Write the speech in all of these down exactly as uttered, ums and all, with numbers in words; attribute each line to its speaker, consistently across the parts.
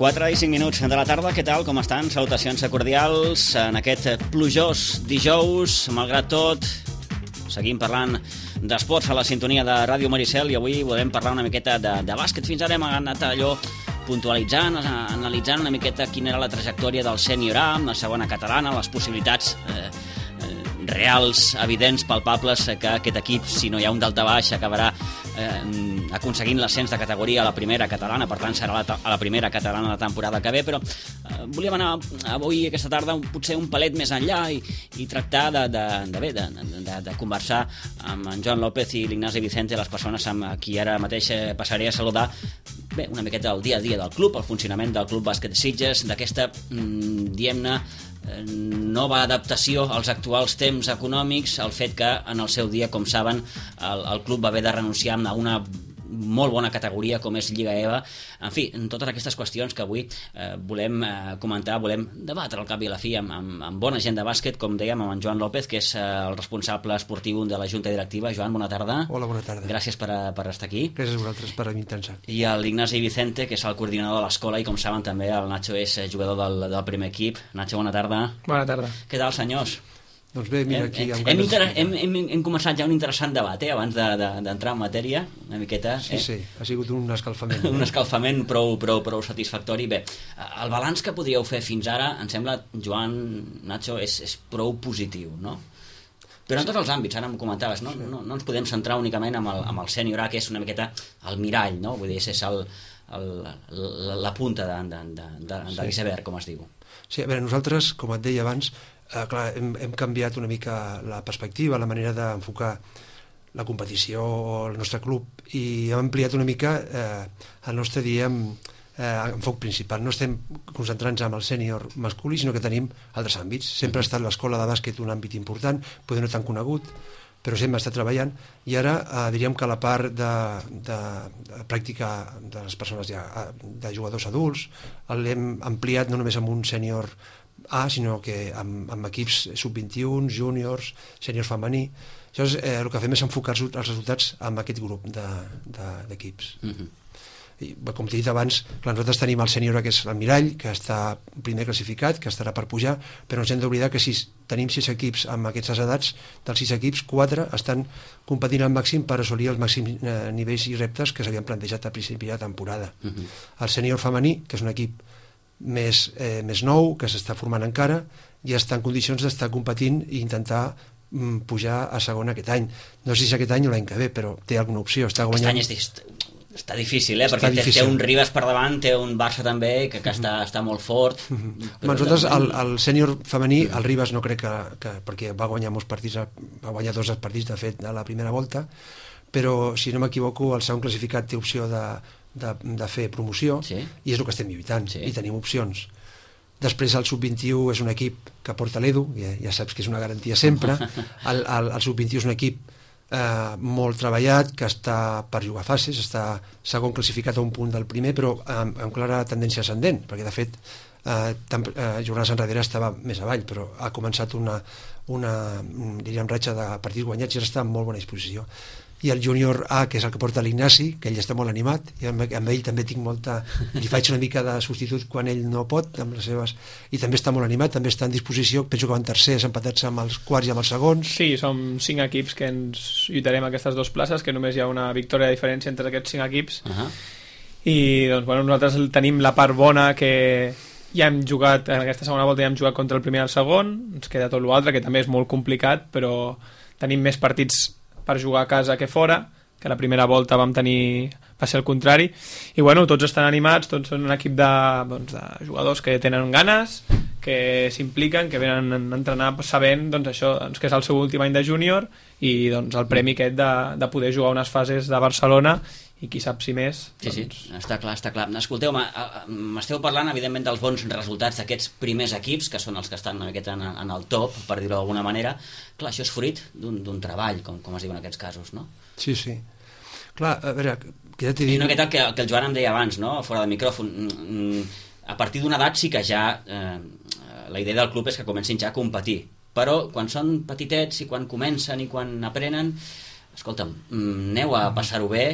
Speaker 1: quatre i cinc minuts de la tarda, què tal, com estan? Salutacions cordials en aquest plujós dijous. Malgrat tot, seguim parlant d'esports a la sintonia de Ràdio Maricel i avui volem parlar una miqueta de, de bàsquet. Fins ara hem anat allò puntualitzant, analitzant una miqueta quina era la trajectòria del Sènior A, la segona catalana, les possibilitats eh, reals, evidents, palpables que aquest equip, si no hi ha un daltabaix, acabarà eh, aconseguint l'ascens de categoria a la primera catalana, per tant serà la, a la primera catalana la temporada que ve, però eh, volíem anar avui, aquesta tarda, un, potser un palet més enllà i, i tractar de, de, de, bé, de, de, de conversar amb en Joan López i l'Ignasi Vicente, les persones amb qui ara mateix passaré a saludar, bé, una miqueta del dia a dia del club, el funcionament del Club Bàsquet Sitges, d'aquesta, mm, diguem-ne, nova adaptació als actuals temps econòmics, el fet que en el seu dia, com saben, el, el club va haver de renunciar a una molt bona categoria com és Lliga E V A. En fi, en totes aquestes qüestions que avui eh, volem eh, comentar, volem debatre al cap i a la fi amb, amb, amb bona gent de bàsquet, com dèiem, amb en Joan López, que és eh, el responsable esportiu de la Junta Directiva. Joan, bona tarda.
Speaker 2: Hola, bona tarda.
Speaker 1: Gràcies per, per estar aquí.
Speaker 2: Gràcies a vosaltres per intentar.
Speaker 1: I l'Ignasi Vicente, que és el coordinador de l'escola, i com saben també el Nacho és jugador del, del primer equip. Nacho, bona tarda.
Speaker 3: Bona tarda.
Speaker 1: Què tal, senyors?
Speaker 2: Doncs bé, mira, aquí...
Speaker 1: Hem, hem, inter... hem, hem, hem començat ja un interessant debat, eh, abans d'entrar de, de, en matèria, una miqueta.
Speaker 2: Sí,
Speaker 1: eh?
Speaker 2: sí, ha sigut un escalfament.
Speaker 1: un escalfament prou, prou, prou satisfactori. Bé, el balanç que podríeu fer fins ara, em sembla, Joan, Nacho, és, és prou positiu, no? Però en tots els àmbits, ara em comentaves, no, no, no ens podem centrar únicament amb el, amb el Sènior A, que és una miqueta el mirall, no? Vull dir, és el, el, la, la punta de, de, de, de, de
Speaker 2: sí.
Speaker 1: l'iceberg, com es diu.
Speaker 2: Sí, a veure, nosaltres, com et deia abans, eh, clar, hem, hem canviat una mica la perspectiva, la manera d'enfocar la competició o el nostre club, i hem ampliat una mica eh, el nostre, diem, eh, enfoc principal. No estem concentrant-nos en el sènior masculí, sinó que tenim altres àmbits. Sempre ha estat l'escola de bàsquet un àmbit important, potser no tan conegut, però sempre està treballant, i ara eh, diríem que la part de, de, de pràctica de les persones ja, de jugadors adults l'hem ampliat no només amb un sènior A, sinó que amb, amb equips sub vint i u, júniors, sènior femení. Llavors, eh, el que fem és enfocar els resultats amb aquest grup d'equips. De, de, mm-hmm. I, com t'he dit abans, clar, nosaltres tenim el sènior A, que és el mirall, que està primer classificat, que estarà per pujar, però ens hem d'oblidar que si tenim sis equips amb aquestes edats, dels sis equips, quatre estan competint al màxim per assolir els màxims eh, nivells i reptes que s'havien plantejat a principi de temporada. Uh-huh. El sènior femení, que és un equip més, eh, més nou, que s'està formant encara, ja està en condicions d'estar competint i intentar mm, pujar a segona aquest any. No sé si aquest any o l'any que ve, però té alguna opció. Està guanyant...
Speaker 1: Aquest any és dist... Està difícil, eh? Està perquè difícil. Té un Ribas per davant, té un Barça també, que, que mm-hmm. està, està molt fort.
Speaker 2: Mm-hmm. Però nosaltres, el, el sènior femení, el Ribas no crec que, que... perquè va guanyar molts partits, va guanyar dos partits, de fet, a la primera volta, però, si no m'equivoco, el segon classificat té opció de, de, de fer promoció, sí. I és el que estem lluitant, sí. I tenim opcions. Després el sub vint i u és un equip que porta l'Edu, ja, ja saps que és una garantia sempre. El, el, el sub vint i u és un equip Eh, molt treballat, que està per jugar fases, està segon classificat a un punt del primer, però amb, amb clara tendència ascendent, perquè de fet eh, tam, eh, jornades enrere estava més avall, però ha començat una, una diríem, ratxa de partits guanyats i ara està en molt bona disposició. I el júnior A, que és el que porta l'Ignasi, que ell està molt animat, i amb, amb ell també tinc molta... li faig una mica de substitut quan ell no pot, amb les seves... i també està molt animat, també està en disposició, penso que van tercers, empatats amb els quarts i amb els segons.
Speaker 3: Sí, som cinc equips que ens lluitarem aquestes dues places, que només hi ha una victòria de diferència entre aquests cinc equips. Uh-huh. I doncs, bueno, nosaltres tenim la part bona que ja hem jugat, en aquesta segona volta ja hem jugat contra el primer i el segon, ens queda tot l'altre, que també és molt complicat, però tenim més partits per jugar a casa que fora, que la primera volta vam tenir, va ser el contrari, i bueno, tots estan animats, tots són un equip de, doncs, de jugadors que tenen ganes, que s'impliquen, que venen a entrenar sabent doncs, això, doncs, que és el seu últim any de júnior, i doncs, el premi aquest de, de poder jugar unes fases de Barcelona, i qui sap si més...
Speaker 1: Sí,
Speaker 3: doncs...
Speaker 1: sí, està clar, està clar. Escolteu, m'esteu parlant, evidentment, dels bons resultats d'aquests primers equips, que són els que estan en, en el top, per dir-ho d'alguna manera. Clar, això és fruit d'un treball, com, com es diu en aquests casos, no?
Speaker 2: Sí, sí. Clar, a veure... Que ja
Speaker 1: I no aquest el que, que el Joan em deia abans, no?, fora del micròfon. A partir d'una edat sí que ja... Eh, la idea del club és que comencin ja a competir. Però quan són petitets i quan comencen i quan aprenen... escolta'm, aneu a passar-ho bé,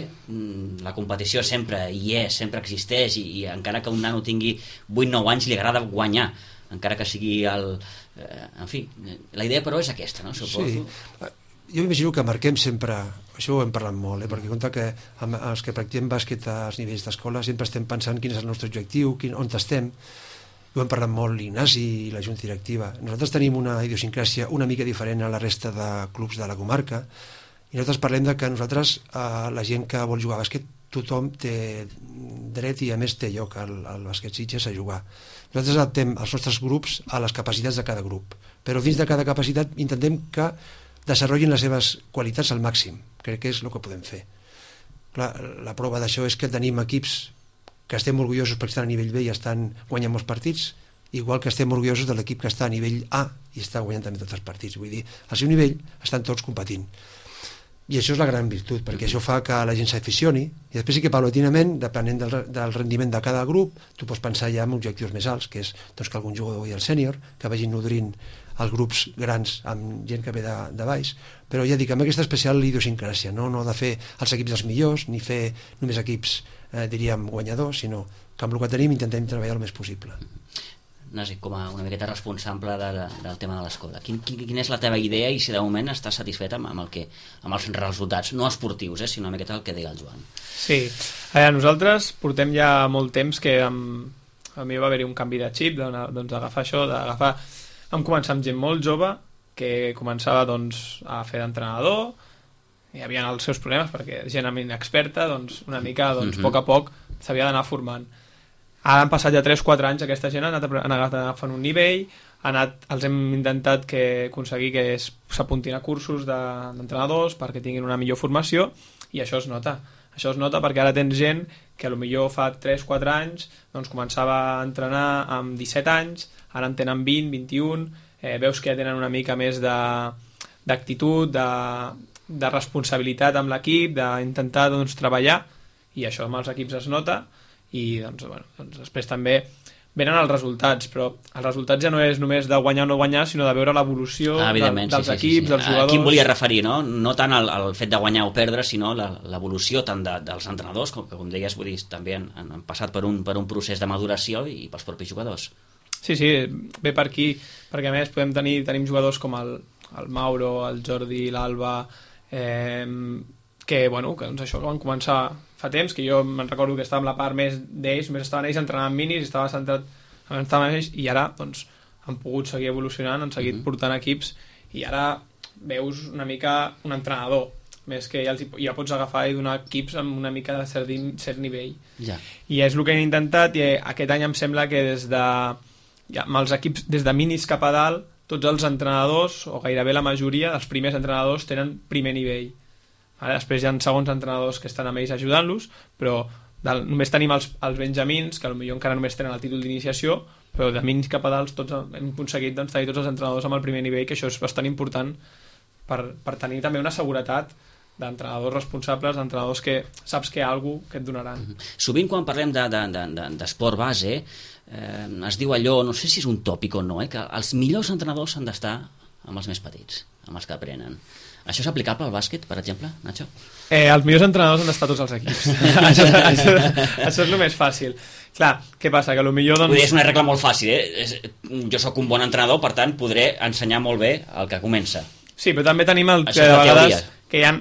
Speaker 1: la competició sempre hi és, sempre existeix, i, i encara que un nano tingui vuit nou anys li agrada guanyar, encara que sigui el... Eh, en fi, la idea però és aquesta, no? Suposo.
Speaker 2: Sí, jo m'imagino que marquem sempre, això ho hem parlat molt, eh? perquè compte que amb els que practiquem bàsquet als nivells d'escola sempre estem pensant quin és el nostre objectiu, quin, on estem. Ho hem parlat molt l'Ignasi i la Junta Directiva. Nosaltres tenim una idiosincràsia una mica diferent a la resta de clubs de la comarca, i nosaltres parlem de que nosaltres, eh, la gent que vol jugar a bàsquet, tothom té dret i a més té lloc al, al bàsquet Sitges a jugar. Nosaltres adaptem els nostres grups a les capacitats de cada grup, però dins de cada capacitat intentem que desenvolupin les seves qualitats al màxim. Crec que és el que podem fer. Clar, la prova d'això és que tenim equips que estem orgullosos perquè estan a nivell B i estan guanyant molts partits, igual que estem orgullosos de l'equip que està a nivell A i està guanyant també tots els partits. Vull dir, al seu nivell estan tots competint. I això és la gran virtut, perquè això fa que la gent s'aficioni, i després sí que paulatinament, depenent del, del rendiment de cada grup, tu pots pensar ja en objectius més alts, que és doncs, que algun jugador vagi al sènior, que vagin nodrint els grups grans amb gent que ve de, de baix, però ja dic, amb aquesta especial idiosincràsia, no, no de fer els equips dels millors, ni fer només equips, eh, diríem, guanyadors, sinó que amb el que tenim intentem treballar el més possible.
Speaker 1: Nasi, com a una miqueta responsable de, de, del tema de l'escola, quin, quin, quina és la teva idea i si de moment estàs satisfet amb, amb, el que, amb els resultats, no esportius, eh, sinó una miqueta el que deia el Joan?
Speaker 3: Sí, a veure, nosaltres portem ja molt temps que amb, a mi va haver-hi un canvi de xip, doncs d'agafar això, d'agafar... Vam començar amb gent molt jove que començava doncs, a fer d'entrenador, hi havia els seus problemes perquè gent inexperta, doncs, una mica doncs, mm-hmm. a poc a poc s'havia d'anar formant. Ara han passat ja tres quatre anys, aquesta gent ha anat, ha anat agafant un nivell, ha anat, els hem intentat que aconseguir que s'apuntin a cursos d'entrenadors perquè tinguin una millor formació, i això es nota. Això es nota perquè ara tens gent que potser fa tres quatre anys doncs, començava a entrenar amb disset anys, ara en tenen vint, vint-i-un, eh, veus que ja tenen una mica més d'actitud, de, de, de responsabilitat amb l'equip, d'intentar doncs, treballar, i això amb els equips es nota, i doncs, bueno, doncs després també venen els resultats, però els resultats ja no és només de guanyar o no guanyar, sinó de veure l'evolució
Speaker 1: ah,
Speaker 3: de, dels
Speaker 1: sí, sí,
Speaker 3: equips,
Speaker 1: sí, sí.
Speaker 3: dels jugadors.
Speaker 1: A qui em volia referir, no? No tant al, al fet de guanyar o perdre, sinó l'evolució tant de, dels entrenadors, com, com deies, vull dir, també han, han passat per un, per un procés de maduració i pels propis jugadors.
Speaker 3: Sí, sí, ve per aquí, perquè a més podem tenir tenim jugadors com el, el Mauro, el Jordi, l'Alba, eh, que, bueno, que doncs això que van començar fa temps, que jo me'n recordo que estava en la part més d'ells, només estaven ells entrenant minis, estava centrat en ells, i ara doncs, han pogut seguir evolucionant, han seguit mm-hmm. portant equips, i ara veus una mica un entrenador, més que ja, els, ja pots agafar i donar equips amb una mica de cert, cert nivell.
Speaker 1: Ja.
Speaker 3: I és el que hem intentat, i aquest any em sembla que des de, ja, amb els equips, des de minis cap a dalt, tots els entrenadors, o gairebé la majoria dels primers entrenadors, tenen primer nivell. Ara, després hi ha segons entrenadors que estan amb ells ajudant-los, però del, només tenim els, els benjamins, que potser encara només tenen el títol d'iniciació, però de minis cap a dalt tots hem aconseguit doncs, tenir tots els entrenadors amb el primer nivell, que això és bastant important per, per tenir també una seguretat d'entrenadors responsables, d'entrenadors que saps que hi ha alguna que et donaran.
Speaker 1: Sovint quan parlem d'esport de, de, de, base eh, es diu allò, no sé si és un tòpic o no, eh, que els millors entrenadors han d'estar amb els més petits, amb els que aprenen. Això és aplicable al bàsquet, per exemple, Nacho?
Speaker 3: Eh, els millors entrenadors han d'estar tots els equips. això, això, això és el més fàcil. Clar, què passa? Que potser doncs...
Speaker 1: Vull dir, és una regla molt fàcil, eh? Jo sóc un bon entrenador, per tant, podré ensenyar molt bé el que comença.
Speaker 3: Sí, però també tenim el que de vegades que hi ha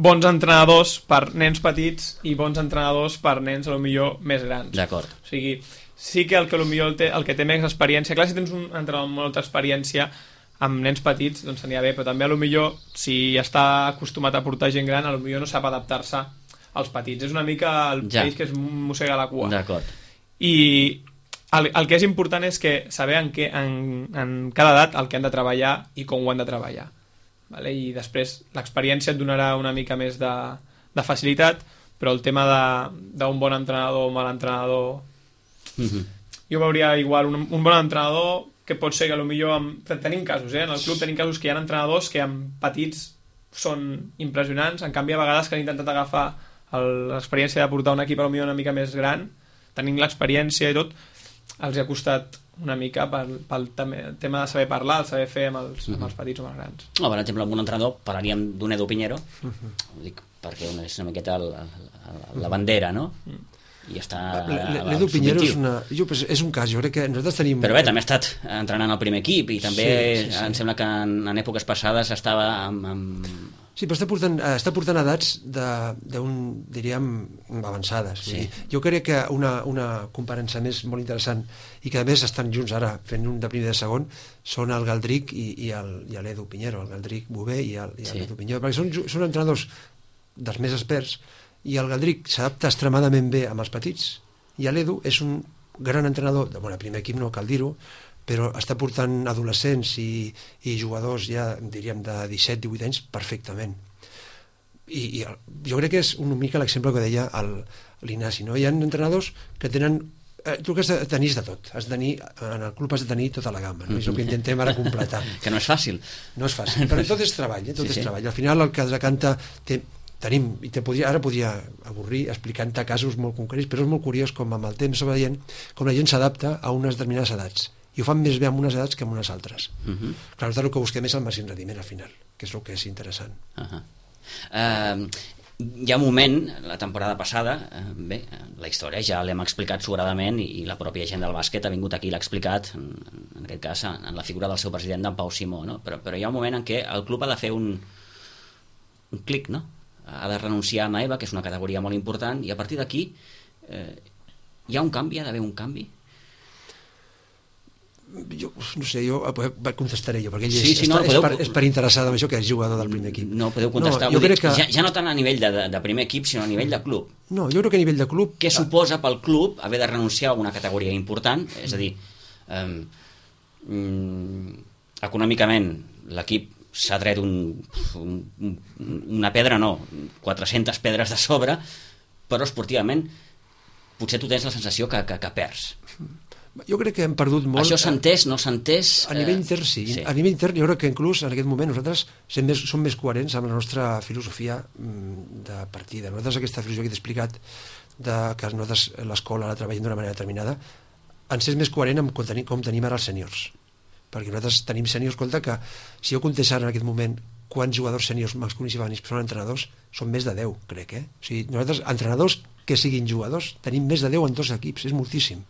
Speaker 3: bons entrenadors per nens petits i bons entrenadors per nens potser més grans.
Speaker 1: D'acord.
Speaker 3: O sigui, sí que el que potser el, té, el que té més experiència... Clar, si tens un entrenador amb molta experiència amb nens petits, doncs anirà bé, però també a lo millor si està acostumat a portar gent gran, a lo millor no sap adaptar-se als petits. És una mica el ja. Peix que es mossega la cua.
Speaker 1: D'acord.
Speaker 3: I el, el que és important és que saber en, què, en, en cada edat el que han de treballar i com ho han de treballar. Vale? I després l'experiència et donarà una mica més de, de facilitat, però el tema d'un bon entrenador o mal entrenador... Mm-hmm. Jo veuria igual un, un bon entrenador que pot ser que potser amb... tenim casos, eh? En el club tenim casos que hi ha entrenadors que amb petits són impressionants, en canvi a vegades que han intentat agafar l'experiència de portar un equip potser una mica més gran, tenint l'experiència i tot, els ha costat una mica pel, pel tema de saber parlar, el saber fer amb els, uh -huh. amb els petits o amb els grans.
Speaker 1: No, per exemple, amb un entrenador parlaríem d'un Edu Piñero, uh -huh. ho dic perquè és una miqueta el, el, la bandera, no? Uh -huh. I està...
Speaker 2: L'Edu Piñero és, una, jo, és un cas, jo crec que nosaltres tenim...
Speaker 1: Però bé, també ha estat entrenant al primer equip i també
Speaker 2: sí, sí, sí.
Speaker 1: em sembla que en, en èpoques passades estava amb... amb...
Speaker 2: Sí, però està portant, està portant edats d'un, diríem, avançades.
Speaker 1: Sí.
Speaker 2: Dir, jo crec que una, una comparança més molt interessant i que a més estan junts ara fent un de primer i de segon són el Galdric i, i l'Edu Piñero, el Galdric Bové i l'Edu sí. Piñero, perquè són, són entrenadors dels més experts i el Galdric s'adapta extremadament bé amb els petits i l'Edu és un gran entrenador, de bueno, primer equip no cal dir-ho, però està portant adolescents i, i jugadors ja, diríem, de disset divuit anys perfectament. I, i el, jo crec que és una mica l'exemple que deia l'Ignasi, no? Hi ha entrenadors que tenen... Eh, tu que has de tenir de tot, has de tenir, en el club has de tenir tota la gamma, no? És el que intentem ara completar.
Speaker 1: Que no és fàcil.
Speaker 2: No és fàcil, però tot és treball, eh? tot sí, és sí. treball. Al final el que es decanta... Té, tenim, i te podria, ara podria avorrir explicant-te casos molt concrets, però és molt curiós com amb el temps va veient com la gent s'adapta a unes determinades edats i ho fan més bé amb unes edats que amb unes altres. Uh -huh. Clar, el que busquem és el màxim rendiment al final, que és el que és interessant.
Speaker 1: Uh -huh. uh, hi ha un moment, la temporada passada, uh, bé, la història ja l'hem explicat sobradament i, i la pròpia gent del bàsquet ha vingut aquí i l'ha explicat, en, en aquest cas en la figura del seu president, d'en Pau Simó, no? però, però hi ha un moment en què el club ha de fer un, un clic, no? Ha de renunciar a Naeva, que és una categoria molt important, i a partir d'aquí eh, hi ha un canvi, ha d'haver un canvi?
Speaker 2: Jo, no sé, jo contestaré jo, perquè ell
Speaker 1: sí,
Speaker 2: és,
Speaker 1: sí, no,
Speaker 2: és,
Speaker 1: podeu...
Speaker 2: per, és per interessar en això que és jugador del primer equip.
Speaker 1: No, podeu contestar. No, jo crec que... ja, ja no tant a nivell de, de, de primer equip, sinó a nivell de club.
Speaker 2: No, jo crec que a nivell de club...
Speaker 1: Què suposa pel club haver de renunciar a una categoria important? És a dir, eh, mm, econòmicament l'equip s'ha tret un, un, una pedra, no, quatre-centes pedres de sobre, però esportivament potser tu tens la sensació que, que, que perds.
Speaker 2: Jo crec que hem perdut molt...
Speaker 1: Això s'ha entès, no s'ha entès...
Speaker 2: A nivell intern, sí. sí. A nivell intern, jo crec que inclús en aquest moment nosaltres som més, som més coherents amb la nostra filosofia de partida. Nosaltres aquesta filosofia que t'he explicat, de que nosaltres l'escola la treballem d'una manera determinada, ens és més coherent amb com tenim, com tenim ara els sèniors. Perquè nosaltres tenim sèniors, escolta, que si jo comptés ara en aquest moment quants jugadors sèniors masculins i femenins són entrenadors, són més de deu, crec, eh? O sigui, nosaltres, entrenadors que siguin jugadors, tenim més de deu en dos equips, és moltíssim.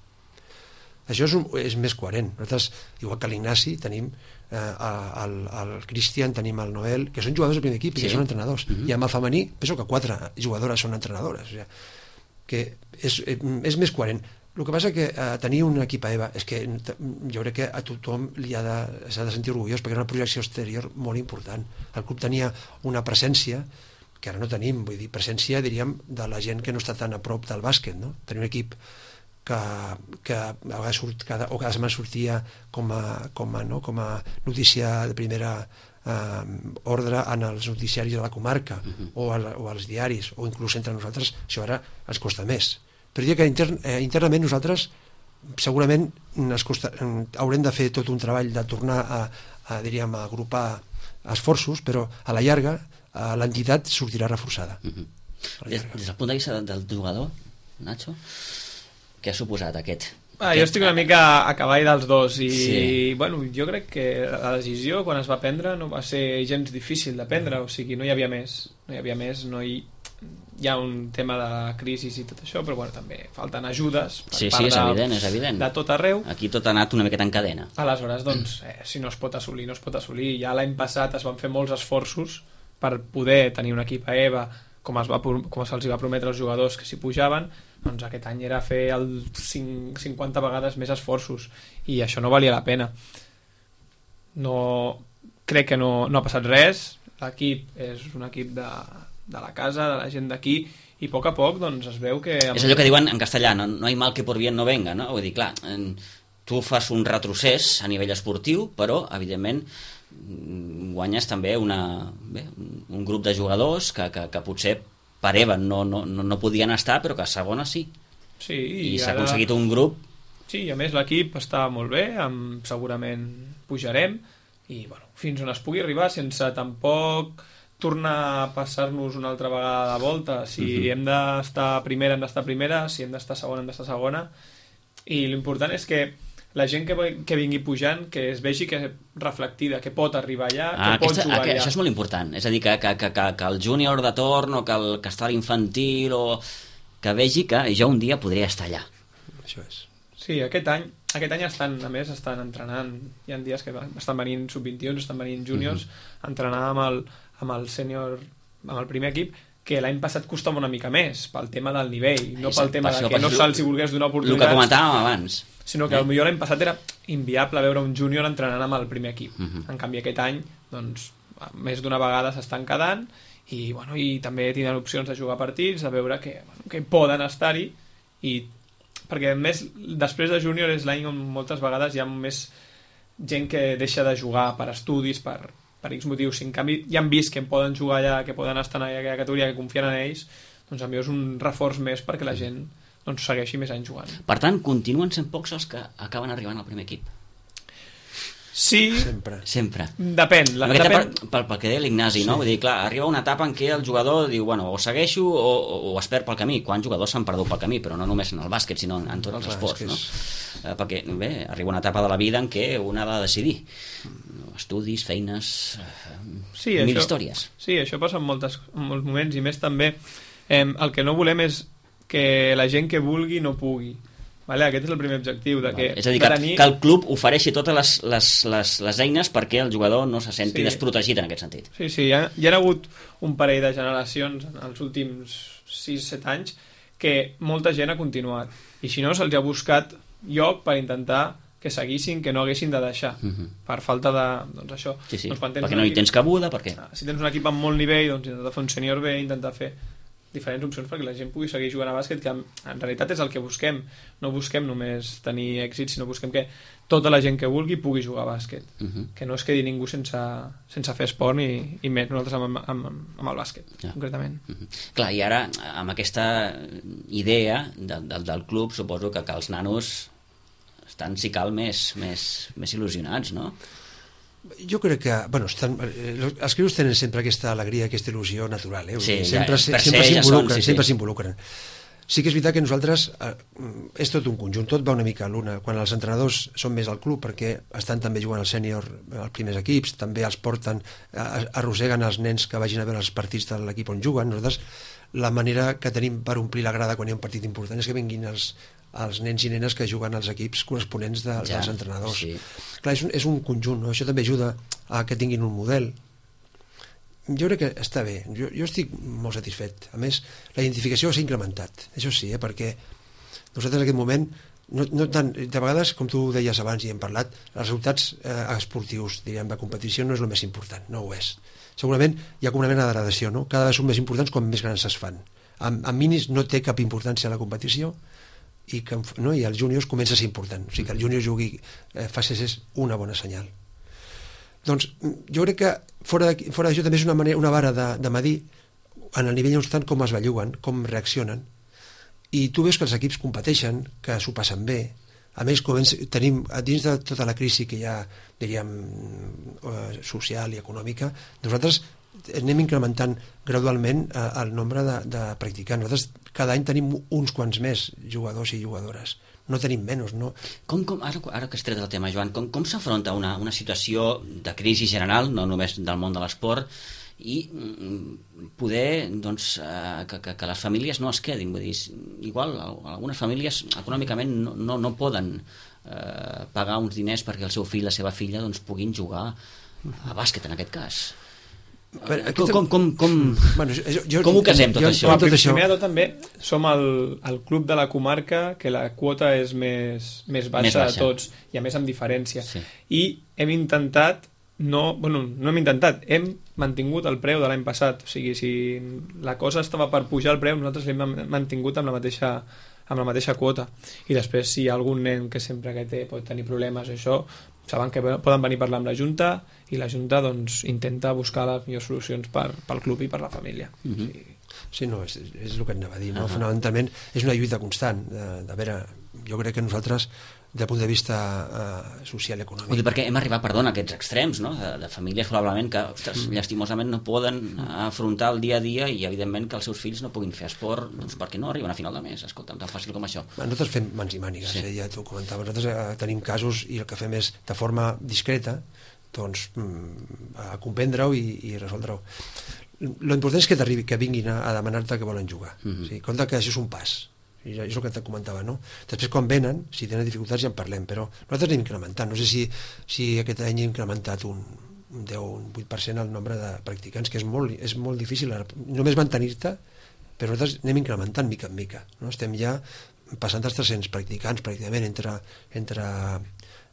Speaker 2: Això és, un, és més coherent. Nosaltres, igual que l'Ignasi, tenim eh, el, el Cristian, tenim el Noel, que són jugadors del primer equip i sí. que són entrenadors. Uh-huh. I amb el femení, penso que quatre jugadores són entrenadores. O sigui, que és, és més coherent. El que passa que eh, tenir un equip a EVA és que jo crec que a tothom li ha de, s'ha de sentir orgullós perquè és una projecció exterior molt important. El club tenia una presència que ara no tenim, vull dir, presència, diríem, de la gent que no està tan a prop del bàsquet, no? Tenir un equip que, que a vegades surt cada, o cada setmana sortia com a, com a, no? com a notícia de primera eh, ordre en els noticiaris de la comarca uh-huh. o, al, o als diaris, o inclús entre nosaltres, això ara ens costa més. Però diria que intern, eh, internament nosaltres segurament es costa, haurem de fer tot un treball de tornar a, a, diríem, a agrupar esforços, però a la llarga eh, l'entitat sortirà reforçada.
Speaker 1: Uh-huh. Des, des del punt de vista del jugador, Nacho, què ha suposat aquest?
Speaker 3: Ah,
Speaker 1: aquest...
Speaker 3: Jo estic una mica a cavall dels dos i
Speaker 1: sí.
Speaker 3: bueno, jo crec que la decisió quan es va prendre no va ser gens difícil de prendre, o sigui, no hi havia més, no hi havia més, no hi... hi ha un tema de crisi i tot això, però bueno, també falten ajudes per
Speaker 1: sí,
Speaker 3: part
Speaker 1: sí, és
Speaker 3: de,
Speaker 1: evident, és evident.
Speaker 3: de tot arreu.
Speaker 1: Aquí tot ha anat una miqueta en cadena.
Speaker 3: Aleshores, doncs, eh, si no es pot assolir, no es pot assolir. Ja l'any passat es van fer molts esforços per poder tenir un equip a EVA com, es va, com se'ls va prometre als jugadors que s'hi pujaven, doncs aquest any era fer el cinquanta vegades més esforços i això no valia la pena. No, crec que no, no ha passat res, l'equip és un equip de, de la casa, de la gent d'aquí, i a poc a poc doncs, es veu que...
Speaker 1: És allò que diuen en castellà, no, no hay mal que por bien no venga, no? Vull dir, clar, tu fas un retrocés a nivell esportiu, però, evidentment, guanyes també una, bé, un grup de jugadors que, que, que potser per EVA no, no, no podien estar, però que a segona sí.
Speaker 3: Sí, i,
Speaker 1: I s'ha
Speaker 3: ara...
Speaker 1: aconseguit un grup...
Speaker 3: Sí, i a més l'equip està molt bé, amb... segurament pujarem, i bueno, fins on es pugui arribar, sense tampoc tornar a passar-nos una altra vegada de volta. Si uh-huh. hem d'estar primera, hem d'estar primera, si hem d'estar segona, hem d'estar segona. i l'important és que la gent que, que vingui pujant, que es vegi que reflectida, que pot arribar allà,
Speaker 1: ah,
Speaker 3: que pot
Speaker 1: aquesta,
Speaker 3: jugar
Speaker 1: aqu
Speaker 3: allà.
Speaker 1: Això és molt important, és a dir, que, que, que, que, que el júnior de torn o que, el, que està a l'infantil o que vegi que jo un dia podria estar allà.
Speaker 2: Això és.
Speaker 3: Sí, aquest any, aquest any estan, a més, estan entrenant, hi ha dies que estan venint sub vint i u, estan venint júniors, uh -huh. a entrenar amb el, amb el sènior, amb el primer equip, que l'any passat costava una mica més, pel tema del nivell, no pel tema de que no se'ls volgués donar oportunitats.
Speaker 1: El que comentàvem abans.
Speaker 3: Sinó que potser l'any passat era inviable veure un júnior entrenant amb el primer equip.
Speaker 1: Uh -huh.
Speaker 3: En canvi, aquest any, doncs, més d'una vegada s'estan quedant i, bueno, i també tindran opcions de jugar partits, de veure que, bueno, que poden estar-hi, i perquè més després de júnior és l'any on moltes vegades hi ha més gent que deixa de jugar per estudis, per, per X motius. Si en canvi ja han vist que poden jugar allà, que poden estar en aquella categoria, que confien en ells, doncs a mi és un reforç més perquè la gent doncs, segueixi més anys jugant.
Speaker 1: Per tant, continuen sent pocs els que acaben arribant al primer equip.
Speaker 3: Sí,
Speaker 2: sempre.
Speaker 1: Sempre.
Speaker 3: Depèn. La, depèn...
Speaker 1: Per, pel, pel que deia l'Ignasi,
Speaker 2: sí.
Speaker 1: no? Vull dir, clar, arriba una etapa en què el jugador diu, bueno, o segueixo o, o, o es perd pel camí. Quants jugadors s'han perdut pel camí, però no només en el bàsquet, sinó en, en tots els clar, esports, és no? És... Eh, perquè, bé, arriba una etapa de la vida en què un ha de decidir. Estudis, feines,
Speaker 3: sí,
Speaker 1: mil
Speaker 3: això,
Speaker 1: històries.
Speaker 3: Sí, això passa en, moltes, en molts moments, i més també eh, el que no volem és que la gent que vulgui no pugui. Vale, aquest és el primer objectiu de que,
Speaker 1: vale. És a dir, que,
Speaker 3: tenir...
Speaker 1: que el club ofereixi totes les, les, les, les eines perquè el jugador no se senti sí. desprotegit en aquest sentit.
Speaker 3: Sí, sí, hi ha, hi ha hagut un parell de generacions en els últims sis set anys que molta gent ha continuat, i si no se'ls ha buscat lloc per intentar que seguissin, que no haguessin de deixar uh -huh. per falta de, doncs això
Speaker 1: sí, sí.
Speaker 3: Doncs quan tens
Speaker 1: perquè no hi
Speaker 3: equip,
Speaker 1: tens cabuda, perquè...
Speaker 3: si tens un equip amb molt nivell, doncs intentar fer un sènior bé, intentar fer diferents opcions perquè la gent pugui seguir jugant a bàsquet, que en realitat és el que busquem. No busquem només tenir èxit, sinó busquem que tota la gent que vulgui pugui jugar a bàsquet. Uh -huh. Que no es quedi ningú sense, sense fer esport, ni, i més nosaltres amb, amb, amb el bàsquet, ja. concretament.
Speaker 1: Uh -huh. Clar, i ara, amb aquesta idea de, de, del club, suposo que, que els nanos estan, si cal, més, més, més il·lusionats, no?
Speaker 2: Jo crec que, bueno, estan, els crios tenen sempre aquesta alegria, aquesta il·lusió natural, eh?
Speaker 1: Sí,
Speaker 2: sempre
Speaker 1: ja,
Speaker 2: sempre s'involucren,
Speaker 1: ja sí,
Speaker 2: sempre
Speaker 1: sí.
Speaker 2: s'involucren. Sí que és veritat que nosaltres eh, és tot un conjunt, tot va una mica a l'una. Quan els entrenadors són més al club perquè estan també jugant al sènior als primers equips, també els porten, arrosseguen els nens que vagin a veure els partits de l'equip on juguen. Nosaltres la manera que tenim per omplir la grada quan hi ha un partit important és que vinguin els, els nens i nenes que juguen als equips corresponents de, ja, dels entrenadors. Sí. Clar, és un, és un conjunt, no? Això també ajuda a que tinguin un model. Jo crec que està bé, jo, jo estic molt satisfet. A més, la identificació s'ha incrementat, això sí, eh? Perquè nosaltres en aquest moment, no, no tant, de vegades, com tu deies abans i hem parlat, els resultats eh, esportius, diríem, de competició no és el més important, no ho és. Segurament hi ha com una mena de gradació, no? Cada vegada són més importants quan més grans es fan. En, en minis no té cap importància la competició, i, que, no? I els júniors comença a ser important, o sigui que el júnior jugui eh, faci és una bona senyal. Doncs jo crec que fora d'això fora també és una, manera, una vara de, de medir en el nivell constant com es belluguen, com reaccionen, i tu veus que els equips competeixen, que s'ho passen bé. A més, tenim, dins de tota la crisi que hi ha, diríem, social i econòmica, nosaltres anem incrementant gradualment el nombre de, de practicants. Nosaltres cada any tenim uns quants més jugadors i jugadores, no tenim menys, no?
Speaker 1: Com, com, ara, ara que has tret el tema, Joan, com, com s'afronta una, una situació de crisi general, no només del món de l'esport, i poder doncs, eh, que, que, que les famílies no es quedin, vull dir, igual algunes famílies econòmicament no, no, no poden eh, pagar uns diners perquè el seu fill, la seva filla doncs, puguin jugar a bàsquet en aquest cas. Veure, com, com, com, com, bueno, jo, jo, com ho casem tot jo, això?
Speaker 3: Jo, tot això? Primer de tot també som el, el club de la comarca que la quota és més, més, baixa més baixa de tots, i a més amb diferència, sí. I hem intentat no, bueno, no hem intentat, hem mantingut el preu de l'any passat, o sigui, si la cosa estava per pujar el preu, nosaltres l'hem mantingut amb la mateixa amb la mateixa quota, i després si hi ha algun nen que sempre que té pot tenir problemes això, saben que poden venir a parlar amb la Junta, i la Junta doncs intenta buscar les millors solucions per, pel club i per la família. Uh -huh. Sí.
Speaker 2: Sí, no, és, és el que anava a dir, no? Uh -huh. Fonamentalment és una lluita constant de, de veure, jo crec que nosaltres del punt de vista eh, social i econòmic.
Speaker 1: Vull dir, perquè hem arribat, perdona, a aquests extrems, no? de, de famílies probablement que, ostres, mm. llastimosament no poden afrontar el dia a dia i evidentment que els seus fills no puguin fer esport, doncs perquè no arriben a final de mes, escolta'm, tan fàcil com això.
Speaker 2: Nosaltres fem mans i mànigues, sí. eh, ja t'ho comentava, nosaltres eh, tenim casos i el que fem és de forma discreta doncs mm, a comprendre-ho i, i resoldre-ho. L'important és que t'arribi, que vinguin a, a demanar-te que volen jugar. Mm-hmm. O sigui, compte que això és un pas. I és el que te comentava, no? Després quan venen, si tenen dificultats ja en parlem, però nosaltres anem incrementant, no sé si, si aquest any hem incrementat un, un deu o un vuit per cent el nombre de practicants, que és molt, és molt difícil només mantenir-te, però nosaltres anem incrementant mica en mica, no? Estem ja passant els tres-cents practicants pràcticament entre, entre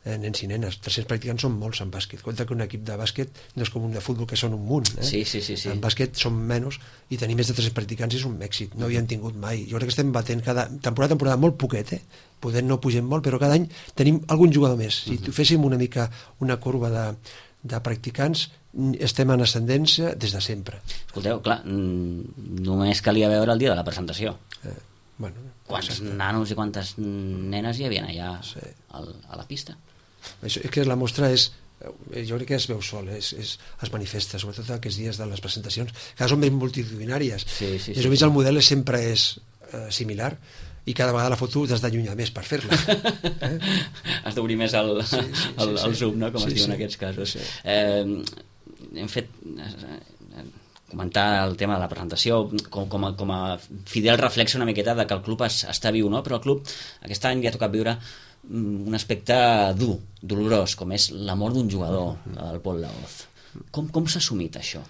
Speaker 2: nens i nenes. tres-cents practicants són molts en bàsquet. Compte que un equip de bàsquet no és com un de futbol que són un munt, eh?
Speaker 1: Sí, sí, sí, sí.
Speaker 2: En bàsquet són menys i tenir més de tres-cents practicants és un èxit, no havíem tingut mai. Jo crec que estem batent cada temporada temporada molt poquet, eh? Podent no pugem molt, però cada any tenim algun jugador més. Si uh-huh. féssim una mica una curva de, de practicants, estem en ascendència des de sempre.
Speaker 1: Escolteu, clar, només calia veure el dia de la presentació.
Speaker 2: Eh, bueno,
Speaker 1: quants exacte. Nanos i quantes nenes hi havia allà
Speaker 2: sí.
Speaker 1: al, a la pista?
Speaker 2: Això, és que la mostra és, jo crec que es veu sol, és, és, es manifesta, sobretot aquests dies de les presentacions, que són ben multitudinàries.
Speaker 1: Sí, sí,
Speaker 2: més o menys sí. El model sempre és eh, similar i cada vegada la foto t'has d'allunyar més per fer-la. Eh?
Speaker 1: Has d'obrir més el, sí, sí, sí, el, el zoom, no? Com sí, es diu sí. En aquests casos. Sí. Eh, hem fet... Eh, comentar el tema de la presentació com, com, a, com a fidel reflex una miqueta de que el club es, està viu, no? Però el club aquest any li ha tocat viure un aspecte dur, dolorós, com és la mort d'un jugador, la del Pol Laoz. Com, com s'ha assumit això?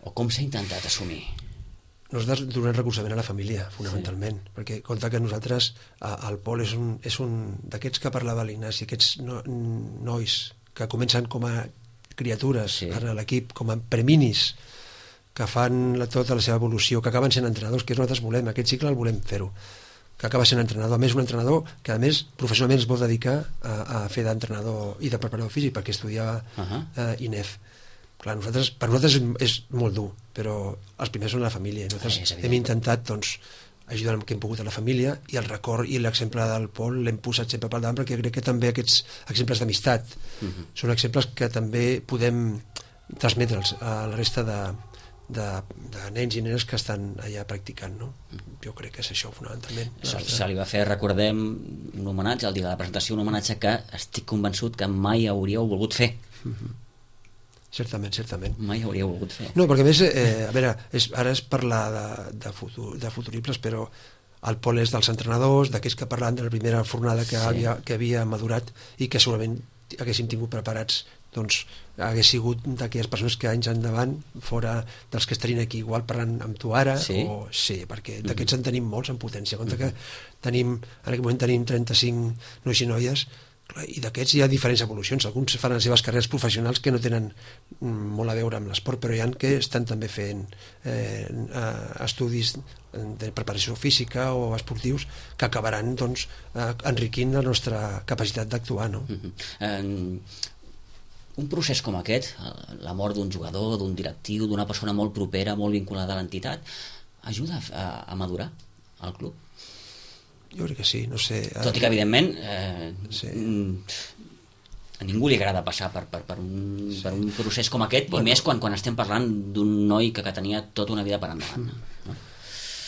Speaker 1: O com s'ha intentat assumir?
Speaker 2: Nosaltres donem recolzament a la família, fonamentalment, sí. perquè compte que nosaltres, el Pol és un, és un d'aquests que parlava l'Ignasi, aquests no, nois que comencen com a criatures sí. a l'equip, com a preminis, que fan la, tota la seva evolució, que acaben sent entrenadors, que nosaltres volem, aquest cicle el volem fer-ho, que acaba sent entrenador, a més un entrenador que a més professionalment es vol dedicar a, a fer d'entrenador i de preparador físic perquè estudiava uh-huh. eh, I N E F. Clar, nosaltres, per nosaltres és, és molt dur, però els primers són la família i nosaltres ah, hem intentat doncs, ajudar el que hem pogut a la família i el record i l'exemple del Pol l'hem posat sempre pel davant perquè crec que també aquests exemples d'amistat uh-huh. són exemples que també podem transmetre'ls a la resta de De, de nens i nenes que estan allà practicant, no? Jo crec que és això fonamentalment.
Speaker 1: Se, se li va fer, recordem, un homenatge al dia de la presentació, un homenatge que estic convençut que mai hauríeu volgut fer.
Speaker 2: Mm-hmm. Certament, certament.
Speaker 1: Mai hauríeu volgut fer.
Speaker 2: No, perquè a més, eh, a veure, és, ara és parlar de, de, futur, de futuribles, però el Pol és dels entrenadors, d'aquells que parlant de la primera fornada que, sí. havia, que havia madurat i que segurament haguéssim tingut preparats doncs hagués sigut d'aquelles persones que anys endavant fora dels que estarien aquí igual parlant amb tu ara
Speaker 1: sí,
Speaker 2: o, sí perquè d'aquests en tenim molts en potència compte que tenim, en aquest moment tenim trenta-cinc nois i noies i d'aquests hi ha diferents evolucions, alguns fan les seves carreres professionals que no tenen molt a veure amb l'esport, però hi ha que estan també fent eh, estudis de preparació física o esportius que acabaran doncs, eh, enriquint la nostra capacitat d'actuar, no?
Speaker 1: Uh-huh. um... Un procés com aquest, la mort d'un jugador, d'un directiu, d'una persona molt propera, molt vinculada a l'entitat, ajuda a, a madurar el club?
Speaker 2: Jo crec que sí, no sé...
Speaker 1: Tot i que, evidentment, eh, sí. a ningú li agrada passar per, per, per, un, sí. per un procés com aquest, bueno. I més quan, quan estem parlant d'un noi que, que tenia tota una vida per endavant. No?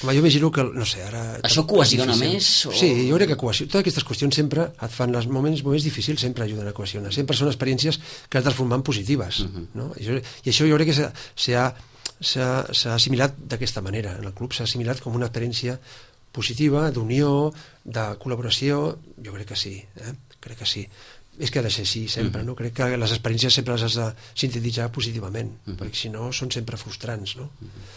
Speaker 2: Home, jo imagino que, no sé, ara...
Speaker 1: Això cohesiona més? O...
Speaker 2: Sí, jo crec que cohesiona. Totes aquestes qüestions sempre et fan, els moments, moments difícils sempre ajuden a cohesionar. Sempre són experiències que has transformat en positives. Uh-huh. No? I, això, I això jo crec que s'ha assimilat d'aquesta manera. En el club s'ha assimilat com una experiència positiva, d'unió, de col·laboració. Jo crec que sí, eh? Crec que sí. És que ha de ser així sempre, uh-huh. no? Crec que les experiències sempre les has de sintetitzar positivament, uh-huh. perquè si no són sempre frustrants, no? Uh-huh.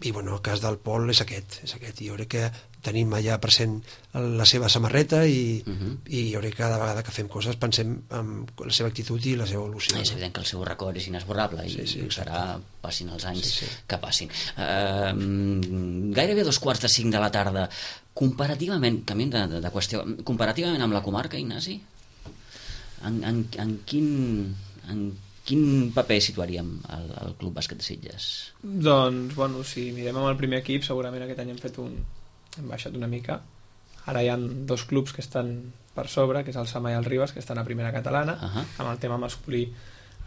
Speaker 2: I bueno, el cas del Pol és aquest, és aquest. I jo crec que tenim allà present la seva samarreta i, uh-huh. i jo crec que cada vegada que fem coses pensem en la seva actitud i la seva evolució.
Speaker 1: És evident que el seu record és inesborrable i sí, sí, serà, passin els anys sí, sí. que passin. Uh, gairebé dos quarts de cinc de la tarda. Comparativament, canviem de, de, de qüestió, comparativament amb la comarca, Ignasi, en, en, en quin... En quin paper situaríem al, al Club Bàsquet de Sitges?
Speaker 3: Doncs, bueno, si mirem amb el primer equip, segurament aquest any hem fet un... hem baixat una mica Ara hi ha dos clubs que estan per sobre, que és el Samà i el Ribes, que estan a primera catalana, uh -huh. amb el tema masculí.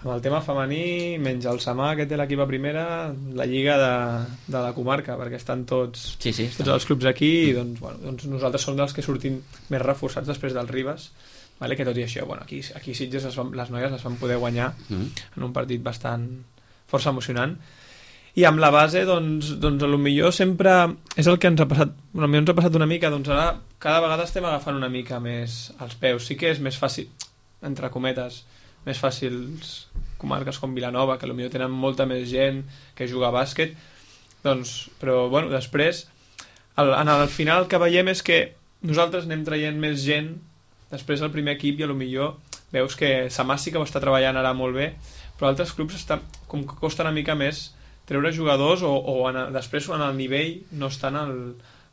Speaker 3: Amb el tema femení, menys el Samà, que té l'equip a primera, la lliga de, de la comarca, perquè estan tots,
Speaker 1: sí, sí,
Speaker 3: tots els clubs aquí, i doncs, bueno, doncs nosaltres som dels que sortim més reforçats després del Ribes, vale? Que tot i això, bueno, aquí, aquí Sitges les, van, les noies les van poder guanyar mm. en un partit bastant força emocionant, i amb la base doncs, doncs potser sempre és el que ens ha passat, potser ens ha passat una mica, doncs ara cada vegada estem agafant una mica més als peus. Sí que és més fàcil, entre cometes, més fàcils comarques com Vilanova, que potser tenen molta més gent que juga a bàsquet, doncs, però bueno, després el, en el final el que veiem és que nosaltres anem traient més gent. Després el primer equip, i potser veus que Samà sí que ho està treballant ara molt bé, però altres clubs està, com que costa una mica més treure jugadors, o, o en, després en el nivell no estan en el,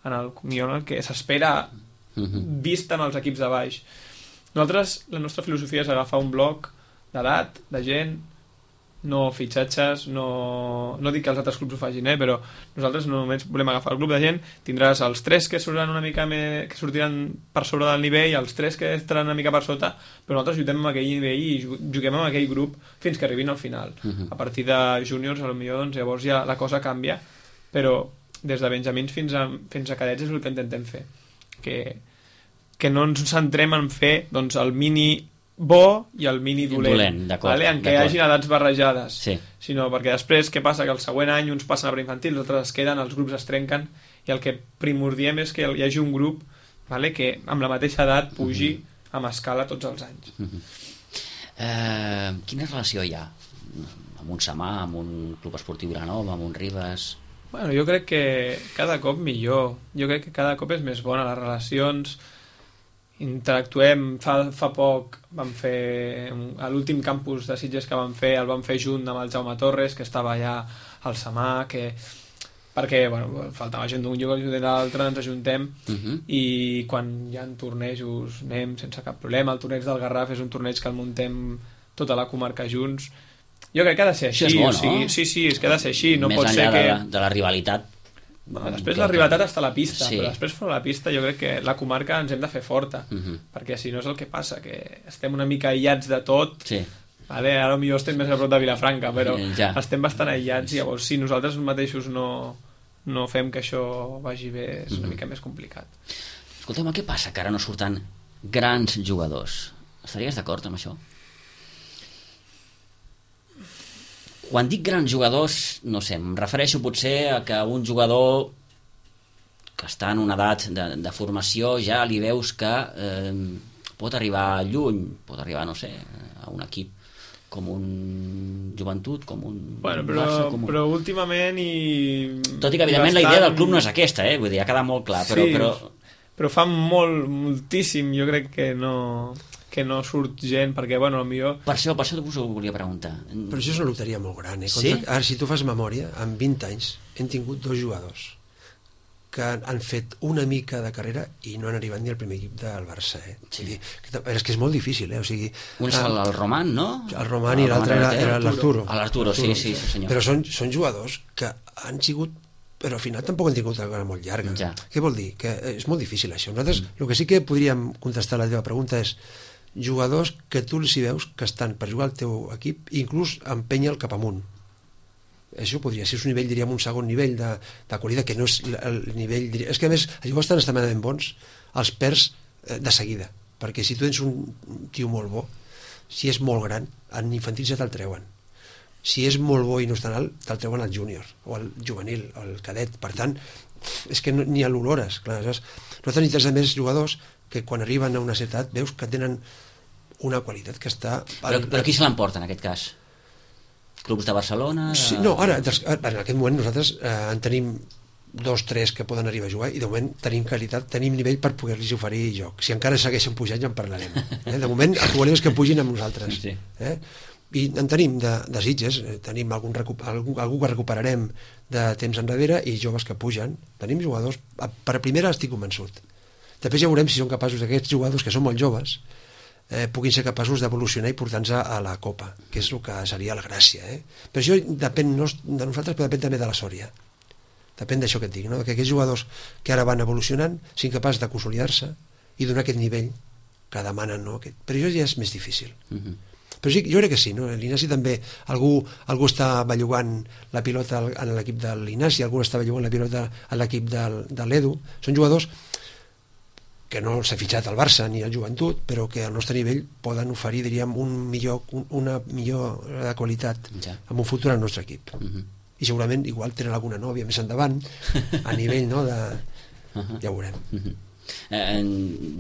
Speaker 3: en el, en el que s'espera vist en els equips de baix. Nosaltres, la nostra filosofia és agafar un bloc d'edat, de gent, no fitxatges, no, no dic que els altres clubs ho facin, eh, però nosaltres només volem agafar el grup de gent, tindràs els tres que sortiran una mica més, que sortiran per sobre del nivell, els tres que estaran una mica per sota, però nosaltres juguem amb aquell nivell i juguem amb aquell grup fins que arribin al final. Uh-huh. A partir de júniors, potser doncs, llavors ja la cosa canvia, però des de benjamins fins a, fins a cadets és el que intentem fer, que, que no ens centrem en fer doncs, el mini bo i el mini dolent,
Speaker 1: dolent
Speaker 3: vale? En què hi hagin edats barrejades,
Speaker 1: sí.
Speaker 3: Sinó perquè després què passa? Que el següent any uns passen a preinfantil, els altres es queden, els grups es trenquen, i el que primordiem és que hi hagi un grup, vale? Que amb la mateixa edat pugi uh -huh. amb escala tots els anys.
Speaker 1: Uh -huh. eh, quina relació hi ha amb un Samà, amb un club esportiu Vilanova, amb un Ribes?
Speaker 3: Bueno, jo crec que cada cop millor, jo crec que cada cop és més bona les relacions, interactuem. Fa, fa poc vam fer a l'últim campus de Sitges que vam fer, el vam fer junt amb el Jaume Torres, que estava allà al Samà, que perquè bueno, faltava gent d'un lloc i l'altre, ens ajuntem uh -huh. i quan hi ha tornejos anem sense cap problema. El torneig del Garraf és un torneig que el muntem tota la comarca junts. Jo crec que ha de ser així.
Speaker 1: Això és bo,
Speaker 3: o sigui,
Speaker 1: no?
Speaker 3: Sí, sí, és que ha de ser així. No
Speaker 1: més
Speaker 3: pot
Speaker 1: enllà
Speaker 3: ser que...
Speaker 1: de, la, de la rivalitat.
Speaker 3: Bueno, després la rivalitat està a la pista,
Speaker 1: sí.
Speaker 3: Però després fora la pista jo crec que la comarca ens hem de fer forta, uh -huh. perquè si no és el que passa, que estem una mica aïllats de tot,
Speaker 1: sí.
Speaker 3: Vale? Ara potser estem més a prop de Vilafranca, però
Speaker 1: ja.
Speaker 3: Estem bastant aïllats, i llavors si nosaltres mateixos no, no fem que això vagi bé, és una uh -huh. mica més complicat.
Speaker 1: Escolteu-me, què passa que ara no surten grans jugadors? Estaries d'acord amb això? Quan dic grans jugadors, no sé, em refereixo potser a que un jugador que està en una edat de, de formació ja li veus que eh, pot arribar lluny, pot arribar, no sé, a un equip com un Joventut, com un
Speaker 3: bueno, però,
Speaker 1: Barça... Com un...
Speaker 3: Però últimament i...
Speaker 1: Tot i que, evidentment, bastant... la idea del club no és aquesta, eh? Vull dir, ha quedat molt clar, però...
Speaker 3: Sí,
Speaker 1: però...
Speaker 3: però fa molt, moltíssim, jo crec que no... que no surt gent, perquè, bueno, potser...
Speaker 1: Per això, per això us ho volia preguntar.
Speaker 2: Però això és una loteria molt gran, eh?
Speaker 1: Sí?
Speaker 2: Ara, si tu fas memòria, en vint anys hem tingut dos jugadors que han fet una mica de carrera i no han arribat ni al primer equip del Barça, eh?
Speaker 1: Sí.
Speaker 2: O sigui, que, és que és molt difícil, eh? O sigui,
Speaker 1: un és el, el Roman, no?
Speaker 2: El Roman i l'altre era, era l'Arturo.
Speaker 1: L'Arturo, sí, sí, sí, senyor.
Speaker 2: Però són, són jugadors que han sigut, però al final tampoc han tingut una carrera molt llarga.
Speaker 1: Ja.
Speaker 2: Què vol dir? Que és molt difícil això. Nosaltres, mm. el que sí que podríem contestar a la teva pregunta és jugadors que tu els hi veus que estan per jugar al teu equip i inclús empènyer cap amunt. Això podria ser un nivell, diríem, un segon nivell de, de qualitat, que no és el nivell... Diria, és que a més, els jugadors estan extremadament bons, els perds eh, de seguida, perquè si tu tens un tio molt bo, si és molt gran, en infantil ja te'l treuen. Si és molt bo i no és tan alt, te'l treuen al júnior, o al juvenil, o al cadet. Per tant, és que no, ni a l'olores. Nosaltres necessitem més jugadors que quan arriben a una certa edat veus que tenen una qualitat que està...
Speaker 1: Però, però qui se l'emporta en aquest cas? Clubs de Barcelona? De...
Speaker 2: Sí, no, ara, en aquest moment nosaltres eh, en tenim dos, tres que poden arribar a jugar i de moment tenim qualitat, tenim nivell per poder-los oferir joc. Si encara segueixen pujant ja en parlarem. Eh? De moment el que volem és que pugin amb nosaltres.
Speaker 1: Sí.
Speaker 2: Eh? I en tenim de, de Sitges, tenim algun, algú, algú que recuperarem de temps enrere i joves que pugen. Tenim jugadors, per a primera estic convençut. Després ja veurem si són capaços d'aquests jugadors que són molt joves eh, puguin ser capaços d'evolucionar i portar-nos a la Copa, que és el que seria la gràcia, eh? Però això depèn no, de nosaltres, però depèn també de la Sòria. depèn d'això que et dic, no? Que aquests jugadors que ara van evolucionant siguin capaços de consolidar-se i donar aquest nivell que demanen, no? Aquest... però això ja és més difícil. Uh-huh. Però sí, jo crec que sí, no? L'Ignasi també, algú, algú està bellugant la pilota en l'equip de l'Ignasi, algú està bellugant la pilota a l'equip de, de l'Edu. Són jugadors que no s'ha fitxat al Barça ni al Joventut, però que al nostre nivell poden oferir, diríem, un millor, un, una millor qualitat ja. En un futur al nostre equip. Uh-huh. I segurament igual tenen alguna nòvia més endavant a nivell, no, de... Uh-huh. Ja ho veurem.
Speaker 1: Uh-huh. Eh,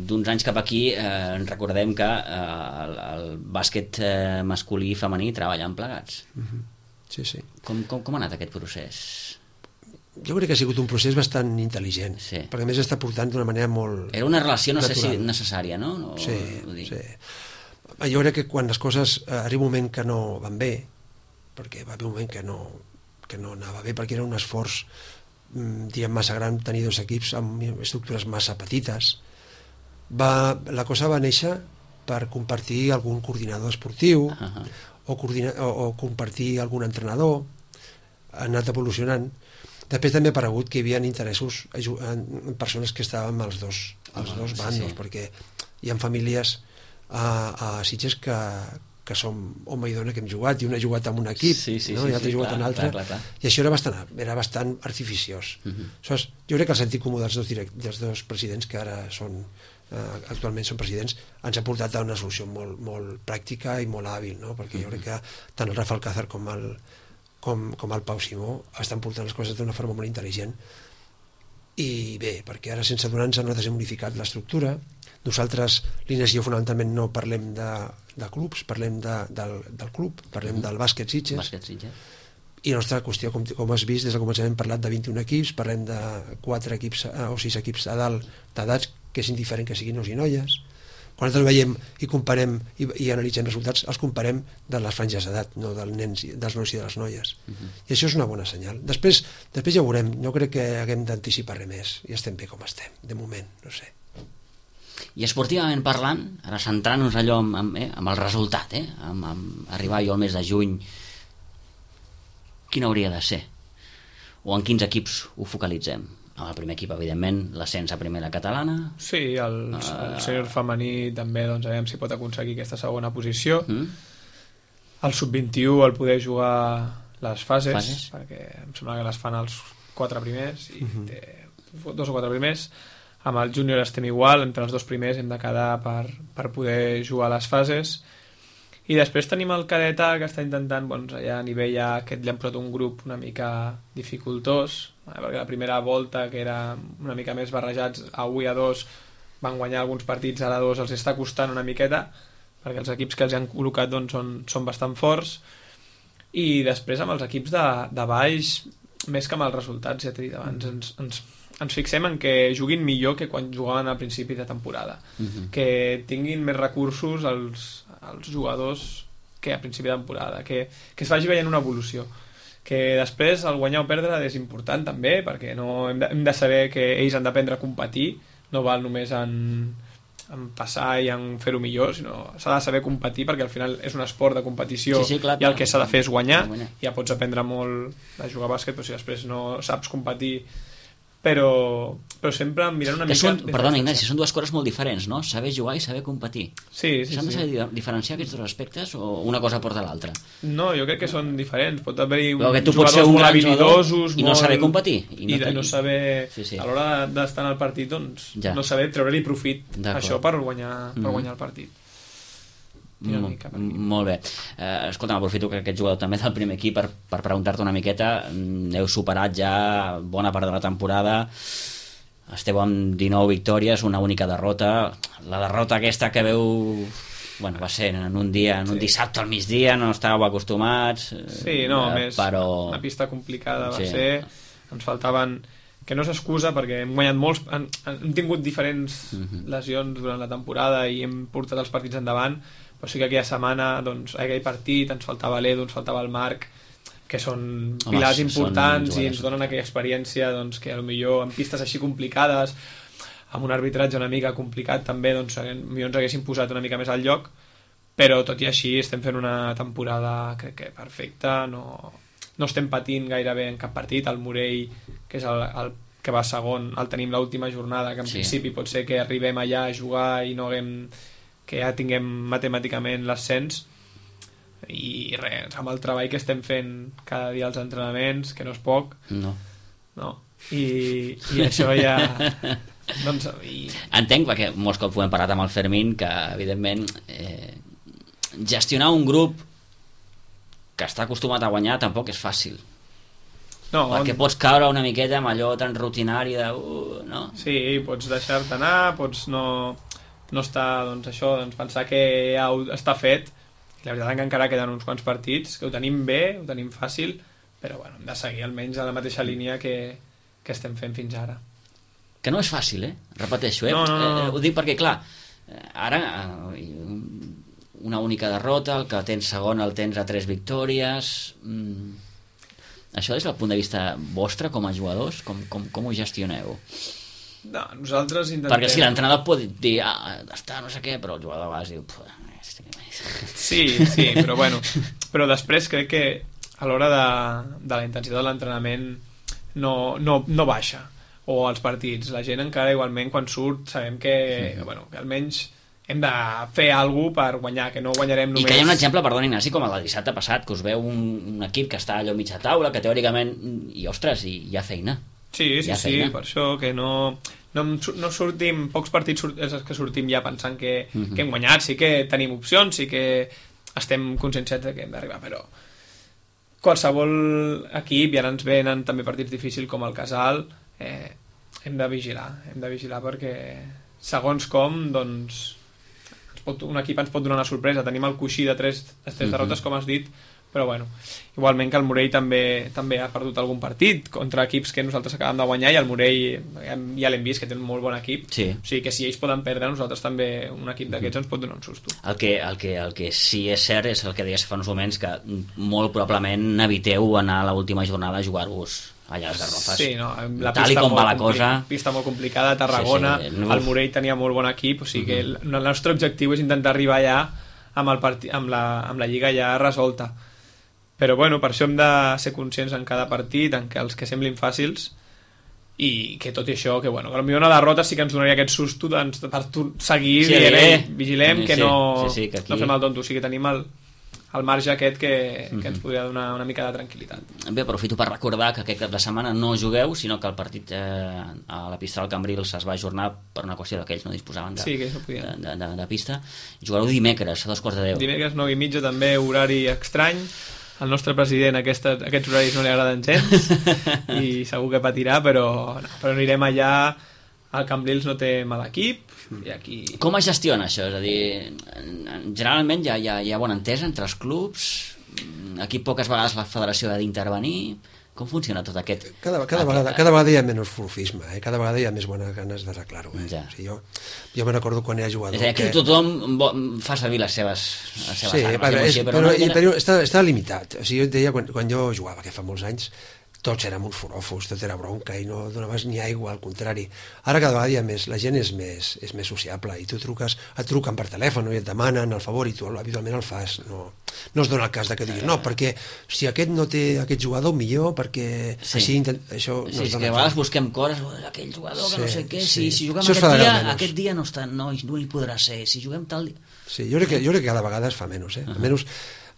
Speaker 1: d'uns anys cap aquí eh, recordem que eh, el, el bàsquet eh, masculí i femení treballen plegats.
Speaker 2: Uh-huh. Sí, sí.
Speaker 1: Com, com, com ha anat aquest procés?
Speaker 2: Jo crec que ha sigut un procés bastant intel·ligent,
Speaker 1: sí.
Speaker 2: Perquè a més està portant d'una manera molt
Speaker 1: era una relació no
Speaker 2: natural.
Speaker 1: sé si necessària, no? O,
Speaker 2: sí, sí. Jo crec que quan les coses eh, arriba un moment que no van bé, perquè va haver un moment que no, que no anava bé, perquè era un esforç diguem massa gran tenir dos equips amb estructures massa petites, va, la cosa va néixer per compartir algun coordinador esportiu uh-huh. o, coordina, o, o compartir algun entrenador. Ha anat evolucionant. Després també ha aparegut que hi havia interessos en persones que estàvem als dos, als oh, dos bandos, sí, sí. Perquè hi ha famílies a, a Sitges que que som home i dona que hem jugat, i un ha jugat en un equip,
Speaker 1: sí, sí,
Speaker 2: no?
Speaker 1: sí,
Speaker 2: I l'altre
Speaker 1: sí,
Speaker 2: ha jugat
Speaker 1: clar,
Speaker 2: en l'altre,
Speaker 1: clar, clar, clar.
Speaker 2: I això era bastant, era bastant artificiós. Uh-huh. Aleshores, jo crec que el sentit comú dels dos, direct, dels dos presidents, que ara són, eh, actualment són presidents, ens ha portat a una solució molt, molt pràctica i molt hàbil, no? Perquè uh-huh. jo crec que tant el Rafa Alcázar com el, com, com el Pau Simó estan portant les coses d'una forma molt intel·ligent. I bé, perquè ara sense adonar-nos nosaltres hem modificat l'estructura. Nosaltres, l'Ines i jo fonamentalment no parlem de, de clubs, parlem de, del, del club, parlem del bàsquet Sitges.
Speaker 1: Bàsquet Sitges.
Speaker 2: I la nostra qüestió, com, com has vist, des del començament hem parlat de vint-i-un equips, parlem de quatre equips o sis equips a dalt d'edats, que és indiferent que siguin nois i noies. Quan nosaltres veiem i comparem i, i analitzem resultats, els comparem de les franges d'edat, no dels nens, dels nois i de les noies. Uh-huh. I això és una bona senyal. Després, després ja ho veurem, no crec que haguem d'anticipar res més, i estem bé com estem, de moment, no sé.
Speaker 1: I esportivament parlant, ara centrant-nos allò amb, amb, eh, amb el resultat, eh, amb, amb arribar jo al mes de juny, quin hauria de ser? O en quins equips ho focalitzem? Amb el primer equip, evidentment, l'ascens a primera catalana.
Speaker 3: Sí, el, uh, el sènior femení també, doncs, aviam si pot aconseguir aquesta segona posició. Mm. El sub vint-i-u, el poder jugar les fases, fases, perquè em sembla que les fan els quatre primers, i mm-hmm. té dos o quatre primers. Amb el júnior estem igual, entre els dos primers hem de quedar per, per poder jugar a les fases. I després tenim el cadet A, que està intentant, doncs, allà a nivell A, que li han posat un grup una mica dificultós, perquè la primera volta, que era una mica més barrejats, a u i a dos, van guanyar alguns partits, ara a dos els està costant una miqueta, perquè els equips que els han col·locat doncs, són, són bastant forts. I després amb els equips de, de baix, més que amb els resultats, ja t'he dit abans, ens, ens ens fixem en que juguin millor que quan jugaven al principi de temporada, uh-huh. que tinguin més recursos els, els jugadors que a principi de temporada, que, que es vagi veient una evolució, que després el guanyar o perdre és important també, perquè no, hem, de, hem de saber que ells han d'aprendre a competir, no val només en, en passar i en fer-ho millor, sinó s'ha de saber competir, perquè al final és un esport de competició,
Speaker 1: sí, sí, clar,
Speaker 3: i el que s'ha de fer és guanyar, guanyar. Ja pots aprendre molt de jugar a bàsquet, però si després no saps competir, però, però sempre mirant una
Speaker 1: que
Speaker 3: mica...
Speaker 1: Són, perdona, Ignasi, són dues coses molt diferents, no? Saber jugar i saber competir.
Speaker 3: Sí, sí,
Speaker 1: S'han de saber
Speaker 3: sí.
Speaker 1: diferenciar aquests dos aspectes o una cosa porta l'altra?
Speaker 3: No, jo crec que són diferents. Pot haver-hi
Speaker 1: jugadors
Speaker 3: un molt habilidosos...
Speaker 1: I no molt... saber competir.
Speaker 3: I no, i no saber...
Speaker 1: Sí, sí.
Speaker 3: A l'hora d'estar en el partit, doncs, ja. no saber treure-li profit a això per guanyar, per mm-hmm. guanyar el partit.
Speaker 1: Molt, molt bé. Eh, escolta, aprofito que aquest jugador també del primer equip per, per preguntar-te una miqueta. Heu superat ja bona part de la temporada, esteu amb dinou victòries, una única derrota. La derrota aquesta que veu, bueno, va ser en un dia, en un sí. dissabte al migdia, no estàveu acostumats.
Speaker 3: Sí, no,
Speaker 1: eh,
Speaker 3: més
Speaker 1: però...
Speaker 3: una pista complicada va
Speaker 1: sí.
Speaker 3: ser. Ens faltaven, que no s'excusa perquè hem guanyat molts, hem, hem tingut diferents uh-huh. lesions durant la temporada i hem portat els partits endavant, però sí que aquella setmana, doncs, aquell partit ens faltava l'Edu, ens faltava el Marc, que són pilars Home, importants són i ens donen aquella experiència, doncs, que potser en pistes així complicades, amb un arbitratge una mica complicat també, doncs millor ens haguessin posat una mica més al lloc, però tot i així estem fent una temporada crec que perfecta, no... no estem patint gairebé en cap partit. El Morell, que és el, el que va segon, el tenim l'última jornada, que en sí. principi pot ser que arribem allà a jugar i no haguem, que ja tinguem matemàticament l'ascens, i res, amb el treball que estem fent cada dia als entrenaments, que no és poc,
Speaker 1: no,
Speaker 3: no. I, i això ja doncs, i...
Speaker 1: entenc, perquè molts cops ho hem parlat amb el Fermín, que evidentment eh, gestionar un grup que està acostumat a guanyar tampoc és fàcil. No, perquè on... pots caure una miqueta amb allò tan rutinari de... Uh, no?
Speaker 3: Sí, pots deixar-te anar, pots no, no estar, doncs això, doncs pensar que ja està fet, i la veritat és que encara queden uns quants partits, que ho tenim bé, ho tenim fàcil, però bueno, hem de seguir almenys a la mateixa línia que, que estem fent fins ara.
Speaker 1: Que no és fàcil, eh? Repeteixo, eh?
Speaker 3: No, no, no.
Speaker 1: Eh, ho dic perquè, clar, ara una única derrota, el que tens segon el tens a tres victòries... Mm. Això des del punt de vista vostre com a jugadors, com, com, com ho gestioneu?
Speaker 3: No, nosaltres intentem...
Speaker 1: Perquè si l'entrenador pot dir, ah, està no sé què, però el jugador a vegades diu...
Speaker 3: Sí, sí, però bueno, però després crec que a l'hora de, de la intensitat de l'entrenament no, no, no baixa, o als partits, la gent encara igualment quan surt sabem que, sí. bueno, que almenys hem de fer alguna cosa per guanyar, que no guanyarem només...
Speaker 1: I que hi ha un exemple, perdona Ignasi, com el del dissabte passat, que us veu un, un equip que està allò mitja taula, que teòricament, i ostres, hi, hi ha feina.
Speaker 3: Sí, sí, sí, feina. Per això que no, no, no sortim, pocs partits surt, és que sortim ja pensant que, uh -huh. que hem guanyat, sí que tenim opcions, sí que estem conscients de que hem d'arribar, però qualsevol equip, i ara ens venen també partits difícils com el Casal, eh, hem de vigilar, hem de vigilar perquè segons com, doncs pot, un equip ens pot donar una sorpresa. Tenim el coixí de tres, tres uh-huh. derrotes, com has dit, però bueno, igualment que el Morell també també ha perdut algun partit contra equips que nosaltres acabem de guanyar, i el Morell ja l'hem vist que té un molt bon equip,
Speaker 1: sí.
Speaker 3: O sigui que si ells poden perdre, nosaltres també, un equip d'aquests ens pot donar un susto.
Speaker 1: El que, el que, el que sí és cert és el que deies fa uns moments, que molt probablement eviteu anar a l'última jornada a jugar-vos allà a les Garrofes.
Speaker 3: Sí, no, la
Speaker 1: tal
Speaker 3: pista
Speaker 1: com va la
Speaker 3: compli-
Speaker 1: cosa,
Speaker 3: pista molt complicada a Tarragona, sí, sí, no. El Morell tenia molt bon equip, o sigui uh-huh. que el, el nostre objectiu és intentar arribar allà amb, el parti, amb, la, amb la lliga ja resolta, però bueno, per això hem de ser conscients en cada partit, en que els que semblin fàcils, i que tot i això, que bueno, que potser una derrota sí que ens donaria aquest susto doncs, per seguir sí, dient, eh, vigilem sí, que no, sí, sí, que aquí... no fem el tonto, o sigui que tenim el el marge aquest que, que ens podria donar una mica de tranquil·litat.
Speaker 1: Bé, aprofito per recordar que aquest cap de setmana no jugueu, sinó que el partit eh, a la pista del Cambrils es va ajornar per una qüestió que ells no disposaven de,
Speaker 3: sí, que no
Speaker 1: de, de, de, de pista. Jugareu dimecres a dos quarts de deu.
Speaker 3: Dimecres nou i mitja, també horari estrany. Al nostre president aquestes, aquests horaris no li agraden gens i segur que patirà, però, no, però anirem allà. El Cambrils no té mal equip i aquí...
Speaker 1: Com es gestiona això? És a dir, generalment hi ha, hi ha, hi ha bona entesa entre els clubs, aquí poques vegades la federació ha d'intervenir. Com funciona tot aquest...
Speaker 2: Cada, cada,
Speaker 1: aquest...
Speaker 2: vegada, cada vegada hi ha menys furfisme, eh? Cada vegada hi ha més bones ganes d'arreglar-ho. Eh?
Speaker 1: Ja.
Speaker 2: O sigui, jo jo me n'acordo quan era jugador...
Speaker 1: És a dir, que tothom fa servir les seves, les seves
Speaker 2: sí,
Speaker 1: armes.
Speaker 2: Però, és,
Speaker 1: però,
Speaker 2: però,
Speaker 1: no,
Speaker 2: i, però està, està limitat. O sigui, jo et deia, quan, quan jo jugava, que fa molts anys, tots érem uns forofos, tot era bronca i no donaves ni aigua, al contrari. Ara cada vegada hi ha més, la gent és més, és més sociable i tu truques, et truquen per telèfon i et demanen el favor i tu habitualment el fas. No, no es dona el cas de que diguis, no, perquè si aquest no té aquest jugador, millor, perquè
Speaker 1: sí.
Speaker 2: així intent... això no
Speaker 1: sí,
Speaker 2: es dona.
Speaker 1: Que a vegades busquem coses, aquell jugador que sí, no sé què,
Speaker 2: sí.
Speaker 1: si, si juguem
Speaker 2: això
Speaker 1: aquest dia, aquest dia no, està, no, no hi podrà ser, si juguem tal dia...
Speaker 2: Sí, jo crec que, jo crec que cada vegada es fa menys, eh? Uh -huh. Almenys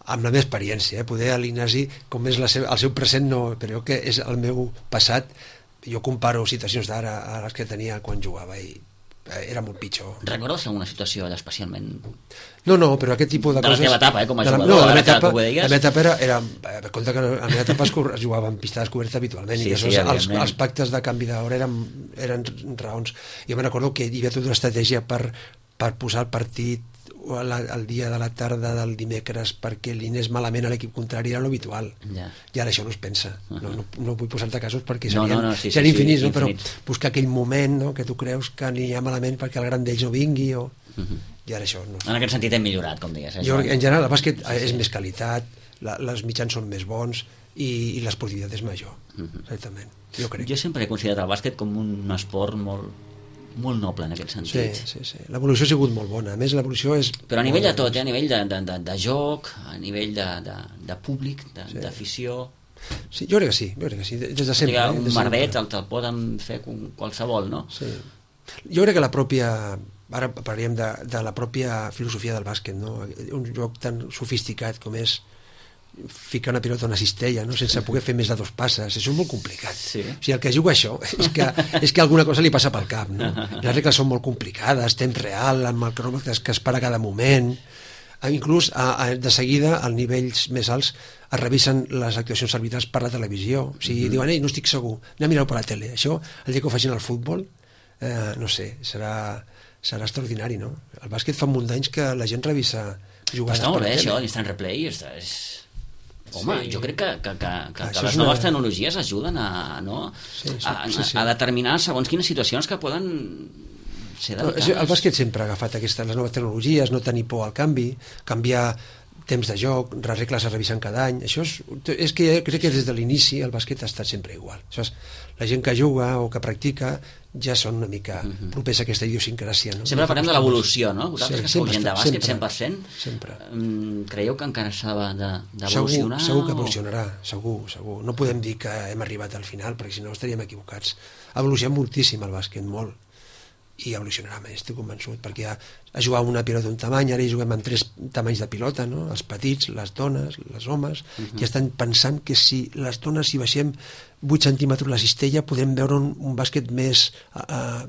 Speaker 2: amb la meva experiència, eh? Poder a l'Ignasi, com és la seva, el seu present, no, però que és el meu passat, jo comparo situacions d'ara a les que tenia quan jugava i era molt pitjor.
Speaker 1: Recordes alguna situació allà especialment?
Speaker 2: No, no, però aquest tipus de,
Speaker 1: de
Speaker 2: coses...
Speaker 1: De la teva etapa, eh, com a
Speaker 2: la,
Speaker 1: jugador,
Speaker 2: no, la
Speaker 1: ara
Speaker 2: meva etapa,
Speaker 1: que ho deies?
Speaker 2: La meva etapa era... era compte que a la meva etapa es, es jugava en pista descoberta habitualment, sí, i sí, els, els pactes de canvi d'hora eren, eren raons. Jo me n'acordo que hi havia tota una estratègia per, per posar el partit el, el dia de la tarda del dimecres perquè li anés malament a l'equip contrari era l'habitual, ja. I ara això no es pensa. Uh -huh. no, no, no vull posar-te casos perquè serien, no, no, no, sí, serien sí, infinits, sí, no? Però buscar aquell moment, no? Que tu creus que li ha malament perquè el gran d'ells no vingui o... Uh -huh. I ara això no.
Speaker 1: En aquest sentit hem millorat, com digues. Eh?
Speaker 2: Jo, en general, el bàsquet sí, és sí. més qualitat, la, les mitjans són més bons i, i l'esportivitat és major. Uh -huh. Exactament, jo crec.
Speaker 1: Jo sempre he considerat el bàsquet com un esport molt molt noble en aquest sentit.
Speaker 2: Sí, sí, sí. L'evolució ha sigut molt bona. A més, l'evolució és...
Speaker 1: Però a nivell de tot, eh? A nivell de, de, de, de joc, a nivell de, de, de públic, de, sí. d'afició...
Speaker 2: Sí, jo crec que sí, jo crec que sí, des de sempre.
Speaker 1: Eh? Un
Speaker 2: de
Speaker 1: merdet
Speaker 2: sempre.
Speaker 1: el te'l poden fer qualsevol, no?
Speaker 2: Sí. Jo crec que la pròpia... Ara parlaríem de, de la pròpia filosofia del bàsquet, no? Un joc tan sofisticat com és ficar una pilota a una cistella, no? Sense poder fer més de dos passes, això és molt complicat.
Speaker 1: Sí.
Speaker 2: O sigui, el que juga això és que, és que alguna cosa li passa pel cap, no? Les regles són molt complicades, temps real, amb el cronòmetre que es para cada moment, inclús a, a, de seguida als nivells més alts es revisen les actuacions arbitrals per la televisió, o sigui, mm-hmm. diuen, ei, no estic segur, anem a mirar-ho per la tele. Això, el dia que ho facin al futbol, eh, no sé, serà, serà extraordinari, no? El bàsquet fa un munt d'anys que la gent revisa jugades
Speaker 1: per la tele. Però està molt bé, això, l'instant replay, és... és... Home, sí. Jo crec que, que, que, que, que les noves una... tecnologies ajuden a, no? sí, sí, a, sí, sí. a determinar segons quines situacions que poden ser delicades.
Speaker 2: No, el bàsquet sempre ha agafat aquestes, les noves tecnologies, no tenir por al canvi, canviar temps de joc, les regles es revisen cada any. Això és, és que crec que des de l'inici el bàsquet ha estat sempre igual. Això és, la gent que juga o que practica ja són una mica uh-huh. propers a aquesta idiosincràsia. No?
Speaker 1: Sempre parlem de l'evolució, no? Vosaltres
Speaker 2: sí,
Speaker 1: que sou gent de bàsquet,
Speaker 2: sempre,
Speaker 1: cent per cent,
Speaker 2: sempre.
Speaker 1: Creieu que encara s'ha d'evolucionar?
Speaker 2: Segur, segur que evolucionarà, segur, segur. No podem dir que hem arribat al final, perquè si no estaríem equivocats. Ha evolucionat moltíssim el bàsquet, molt. I evolucionarà més, estic convençut, perquè ja a jugar una pilota d'un tamany, ara hi juguem amb tres tamanys de pilota, no? Els petits, les dones, les homes, uh-huh. ja estan pensant que si les dones si baixem vuit centímetres la cistella podrem veure un, un bàsquet més... Uh,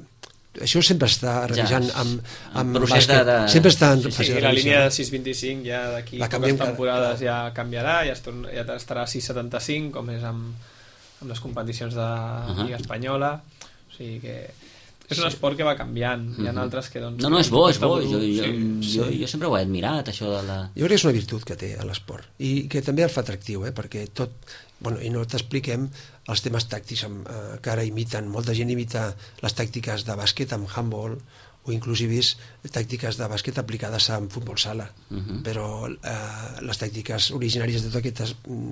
Speaker 2: això sempre està revisant ja, amb, amb
Speaker 1: procés bàsquet. De, de...
Speaker 2: Sempre està en
Speaker 3: sí, sí, la línia de sis vint-i-cinc ja d'aquí poques temporades cada... ja canviarà, ja, estarà, ja estarà a sis setanta-cinc, com és amb, amb les competicions de uh-huh. Lliga Espanyola, o sigui que... És un esport que va canviant, hi ha altres que... Doncs,
Speaker 1: no, no, és bo, és bo, jo, jo, sí. jo, jo sempre ho he admirat, això de la...
Speaker 2: Jo crec que és una virtut que té l'esport, i que també el fa atractiu, eh? Perquè tot... Bueno, i no t'expliquem els temes tàctics amb, eh, que ara imiten, molta gent imita les tàctiques de bàsquet amb handball, o inclús he vist tàctiques de bàsquet aplicades en futbol sala, uh-huh. però eh, les tàctiques originàries de tot aquest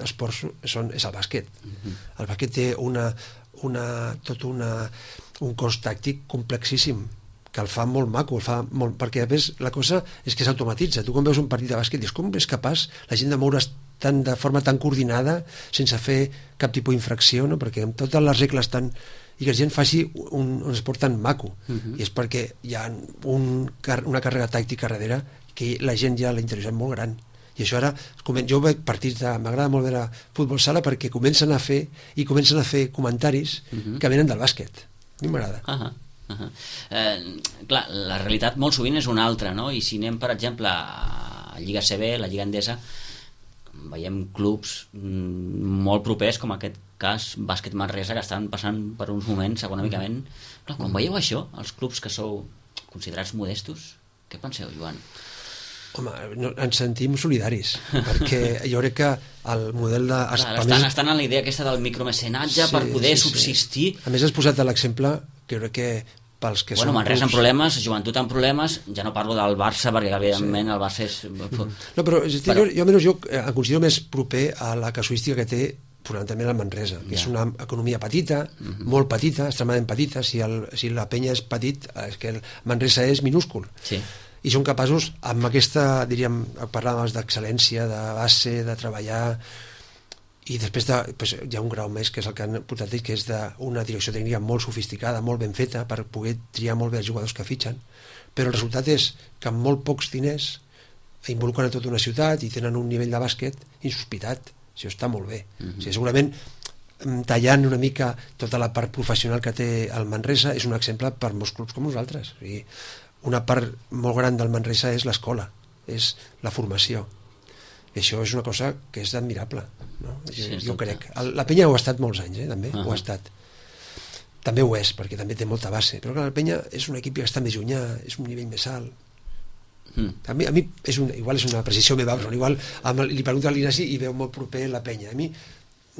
Speaker 2: esport són, és el bàsquet. Uh-huh. El bàsquet té una, una, tot una, un cos tàctic complexíssim, que el fa molt maco, el fa molt, perquè a més la cosa és que s'automatitza. Tu quan veus un partit de bàsquet dius, com és capaç la gent de moure's tan, de forma tan coordinada sense fer cap tipus d'infracció, no? Perquè amb totes les regles tan... i que la gent faci un, un esport tan maco, uh-huh. i és perquè hi ha un, una càrrega tàctica darrere que la gent ja l'ha interessat molt gran, i això ara jo veig partits de... m'agrada molt veure futbol sala perquè comencen a fer i comencen a fer comentaris uh-huh. que venen del bàsquet. A mi m'agrada.
Speaker 1: Uh-huh. Uh-huh. Eh, clar, la realitat molt sovint és una altra, no? I si anem per exemple a Lliga C B, la Lliga Endesa, veiem clubs molt propers, com aquest cas Bàsquet Manresa, que estan passant per uns moments econòmicament... Clar, quan veieu això, els clubs que sou considerats modestos, què penseu, Joan?
Speaker 2: Home, no, ens sentim solidaris, perquè jo crec que el model de...
Speaker 1: Clar, estan, estan en la idea aquesta del micromecenatge sí, per poder sí, subsistir...
Speaker 2: Sí. A més, has posat l'exemple que crec que pels que
Speaker 1: bueno,
Speaker 2: són...
Speaker 1: Manresa amb problemes, Joventut amb problemes, ja no parlo del Barça, perquè evidentment sí. el Barça és...
Speaker 2: No, però, però... Jo, jo almenys jo em considero més proper a la casuística que té fonamentalment el Manresa, que ja. és una economia petita, uh-huh. molt petita, extremadament petita. Si, el, si la penya és petit, és que el Manresa és minúscul. Sí. I són capaços, amb aquesta, diríem, parlàvem d'excel·lència, de base, de treballar, i després de, pues, hi ha un grau més, que és el que han portat ells, que és d'una direcció tècnica molt sofisticada, molt ben feta, per poder triar molt bé els jugadors que fitxen. Però el resultat és que amb molt pocs diners involucren a tota una ciutat i tenen un nivell de bàsquet insospitat. Això està molt bé. Uh-huh. O sigui, segurament tallant una mica tota la part professional que té el Manresa és un exemple per molts clubs com nosaltres. O sigui, una part molt gran del Manresa és l'escola, és la formació, i això és una cosa que és admirable, no? Jo, sí, jo crec. La Penya ho ha estat molts anys, eh, també, uh-huh. ho ha estat. També ho és, perquè també té molta base, però clar, la Penya és un equip que està més llunyà, és un nivell més alt. Mm. A mi, a mi és un, igual és una precisió meva, però igual amb, li pregunto a l'Ignasi i veu molt proper la Penya. A mi,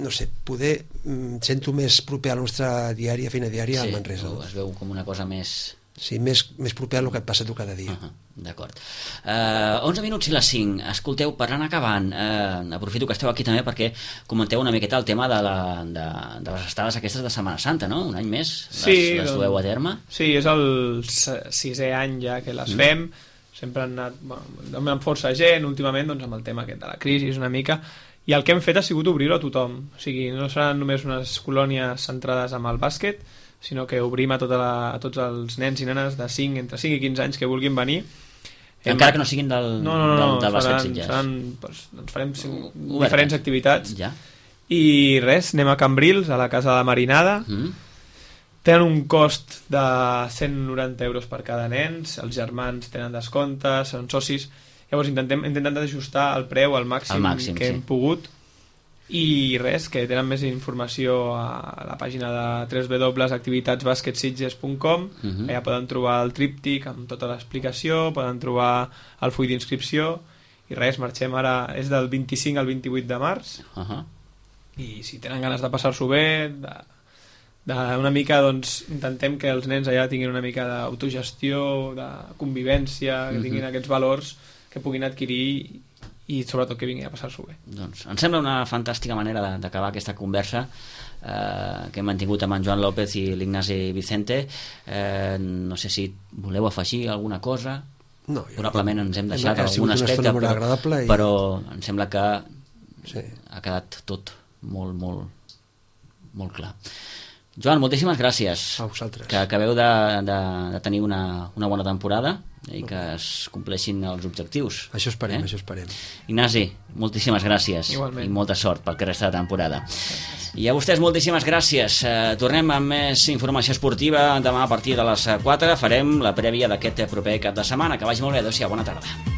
Speaker 2: no sé, poder mm, sento més proper a la nostra diària, feina diària, sí, al Manresa.
Speaker 1: Sí, es veu com una cosa més...
Speaker 2: Sí, més, més proper a el que et passa tu cada dia.
Speaker 1: Uh-huh, d'acord. Uh, onze minuts i les cinc. Escolteu, per anar acabant, uh, aprofito que esteu aquí també perquè comenteu una miqueta el tema de, la, de, de les estades aquestes de Setmana Santa, no? Un any més les, sí, les dueu a terme.
Speaker 3: Sí, és el sisè any ja que les mm. fem. Sempre han anat bueno, amb força gent, últimament doncs, amb el tema aquest de la crisi una mica, i el que hem fet ha sigut obrir-ho a tothom, o sigui, no seran només unes colònies centrades amb el bàsquet, sinó que obrim a, tota la, a tots els nens i nenes de cinc, entre cinc i quinze anys que vulguin venir.
Speaker 1: Encara que no siguin del,
Speaker 3: no, no, no,
Speaker 1: del, del bàsquet
Speaker 3: seran,
Speaker 1: Sitges.
Speaker 3: seran, doncs, doncs farem cinc,
Speaker 1: Oberta.
Speaker 3: diferents activitats.
Speaker 1: Ja.
Speaker 3: I res, anem a Cambrils, a la Casa de la Marinada.
Speaker 1: Mm.
Speaker 3: Tenen un cost de cent noranta euros per cada nen, els germans tenen descomptes, són socis. Llavors intentem, intentem ajustar el preu al màxim,
Speaker 1: al màxim
Speaker 3: que
Speaker 1: sí.
Speaker 3: hem pogut, i res, que tenen més informació a la pàgina de w w w punt activitats bàsquet sitges punt com.
Speaker 1: Uh-huh.
Speaker 3: Allà poden trobar el tríptic amb tota l'explicació, poden trobar el full d'inscripció, i res, marxem ara, és del vint-i-cinc al vint-i-vuit de març,
Speaker 1: uh-huh.
Speaker 3: i si tenen ganes de passar-s'ho bé, de, de una mica, doncs, intentem que els nens allà tinguin una mica d'autogestió, de convivència, que tinguin uh-huh. aquests valors que puguin adquirir i sobretot que vinguin a passar-s'ho bé.
Speaker 1: Doncs em sembla una fantàstica manera d'acabar aquesta conversa eh, que hem mantingut amb en Joan López i l'Ignasi Vicente. Eh, no sé si voleu afegir alguna cosa.
Speaker 2: No,
Speaker 1: probablement ens hem deixat
Speaker 2: hem,
Speaker 1: algun aspecte, però,
Speaker 2: i...
Speaker 1: però em sembla que
Speaker 2: sí.
Speaker 1: ha quedat tot molt, molt, molt clar. Joan, moltíssimes gràcies.
Speaker 2: A vosaltres.
Speaker 1: Que acabeu de, de, de tenir una, una bona temporada i que es compleixin els objectius.
Speaker 2: Això esperem,
Speaker 1: eh?
Speaker 2: això esperem.
Speaker 1: Ignasi, moltíssimes gràcies.
Speaker 3: Igualment.
Speaker 1: I molta sort pel que resta de temporada. I a vostès moltíssimes gràcies. Eh, tornem amb més informació esportiva demà a partir de les quatre. Farem la prèvia d'aquest proper cap de setmana. Que vagi molt bé. Adéu-siau, bona tarda.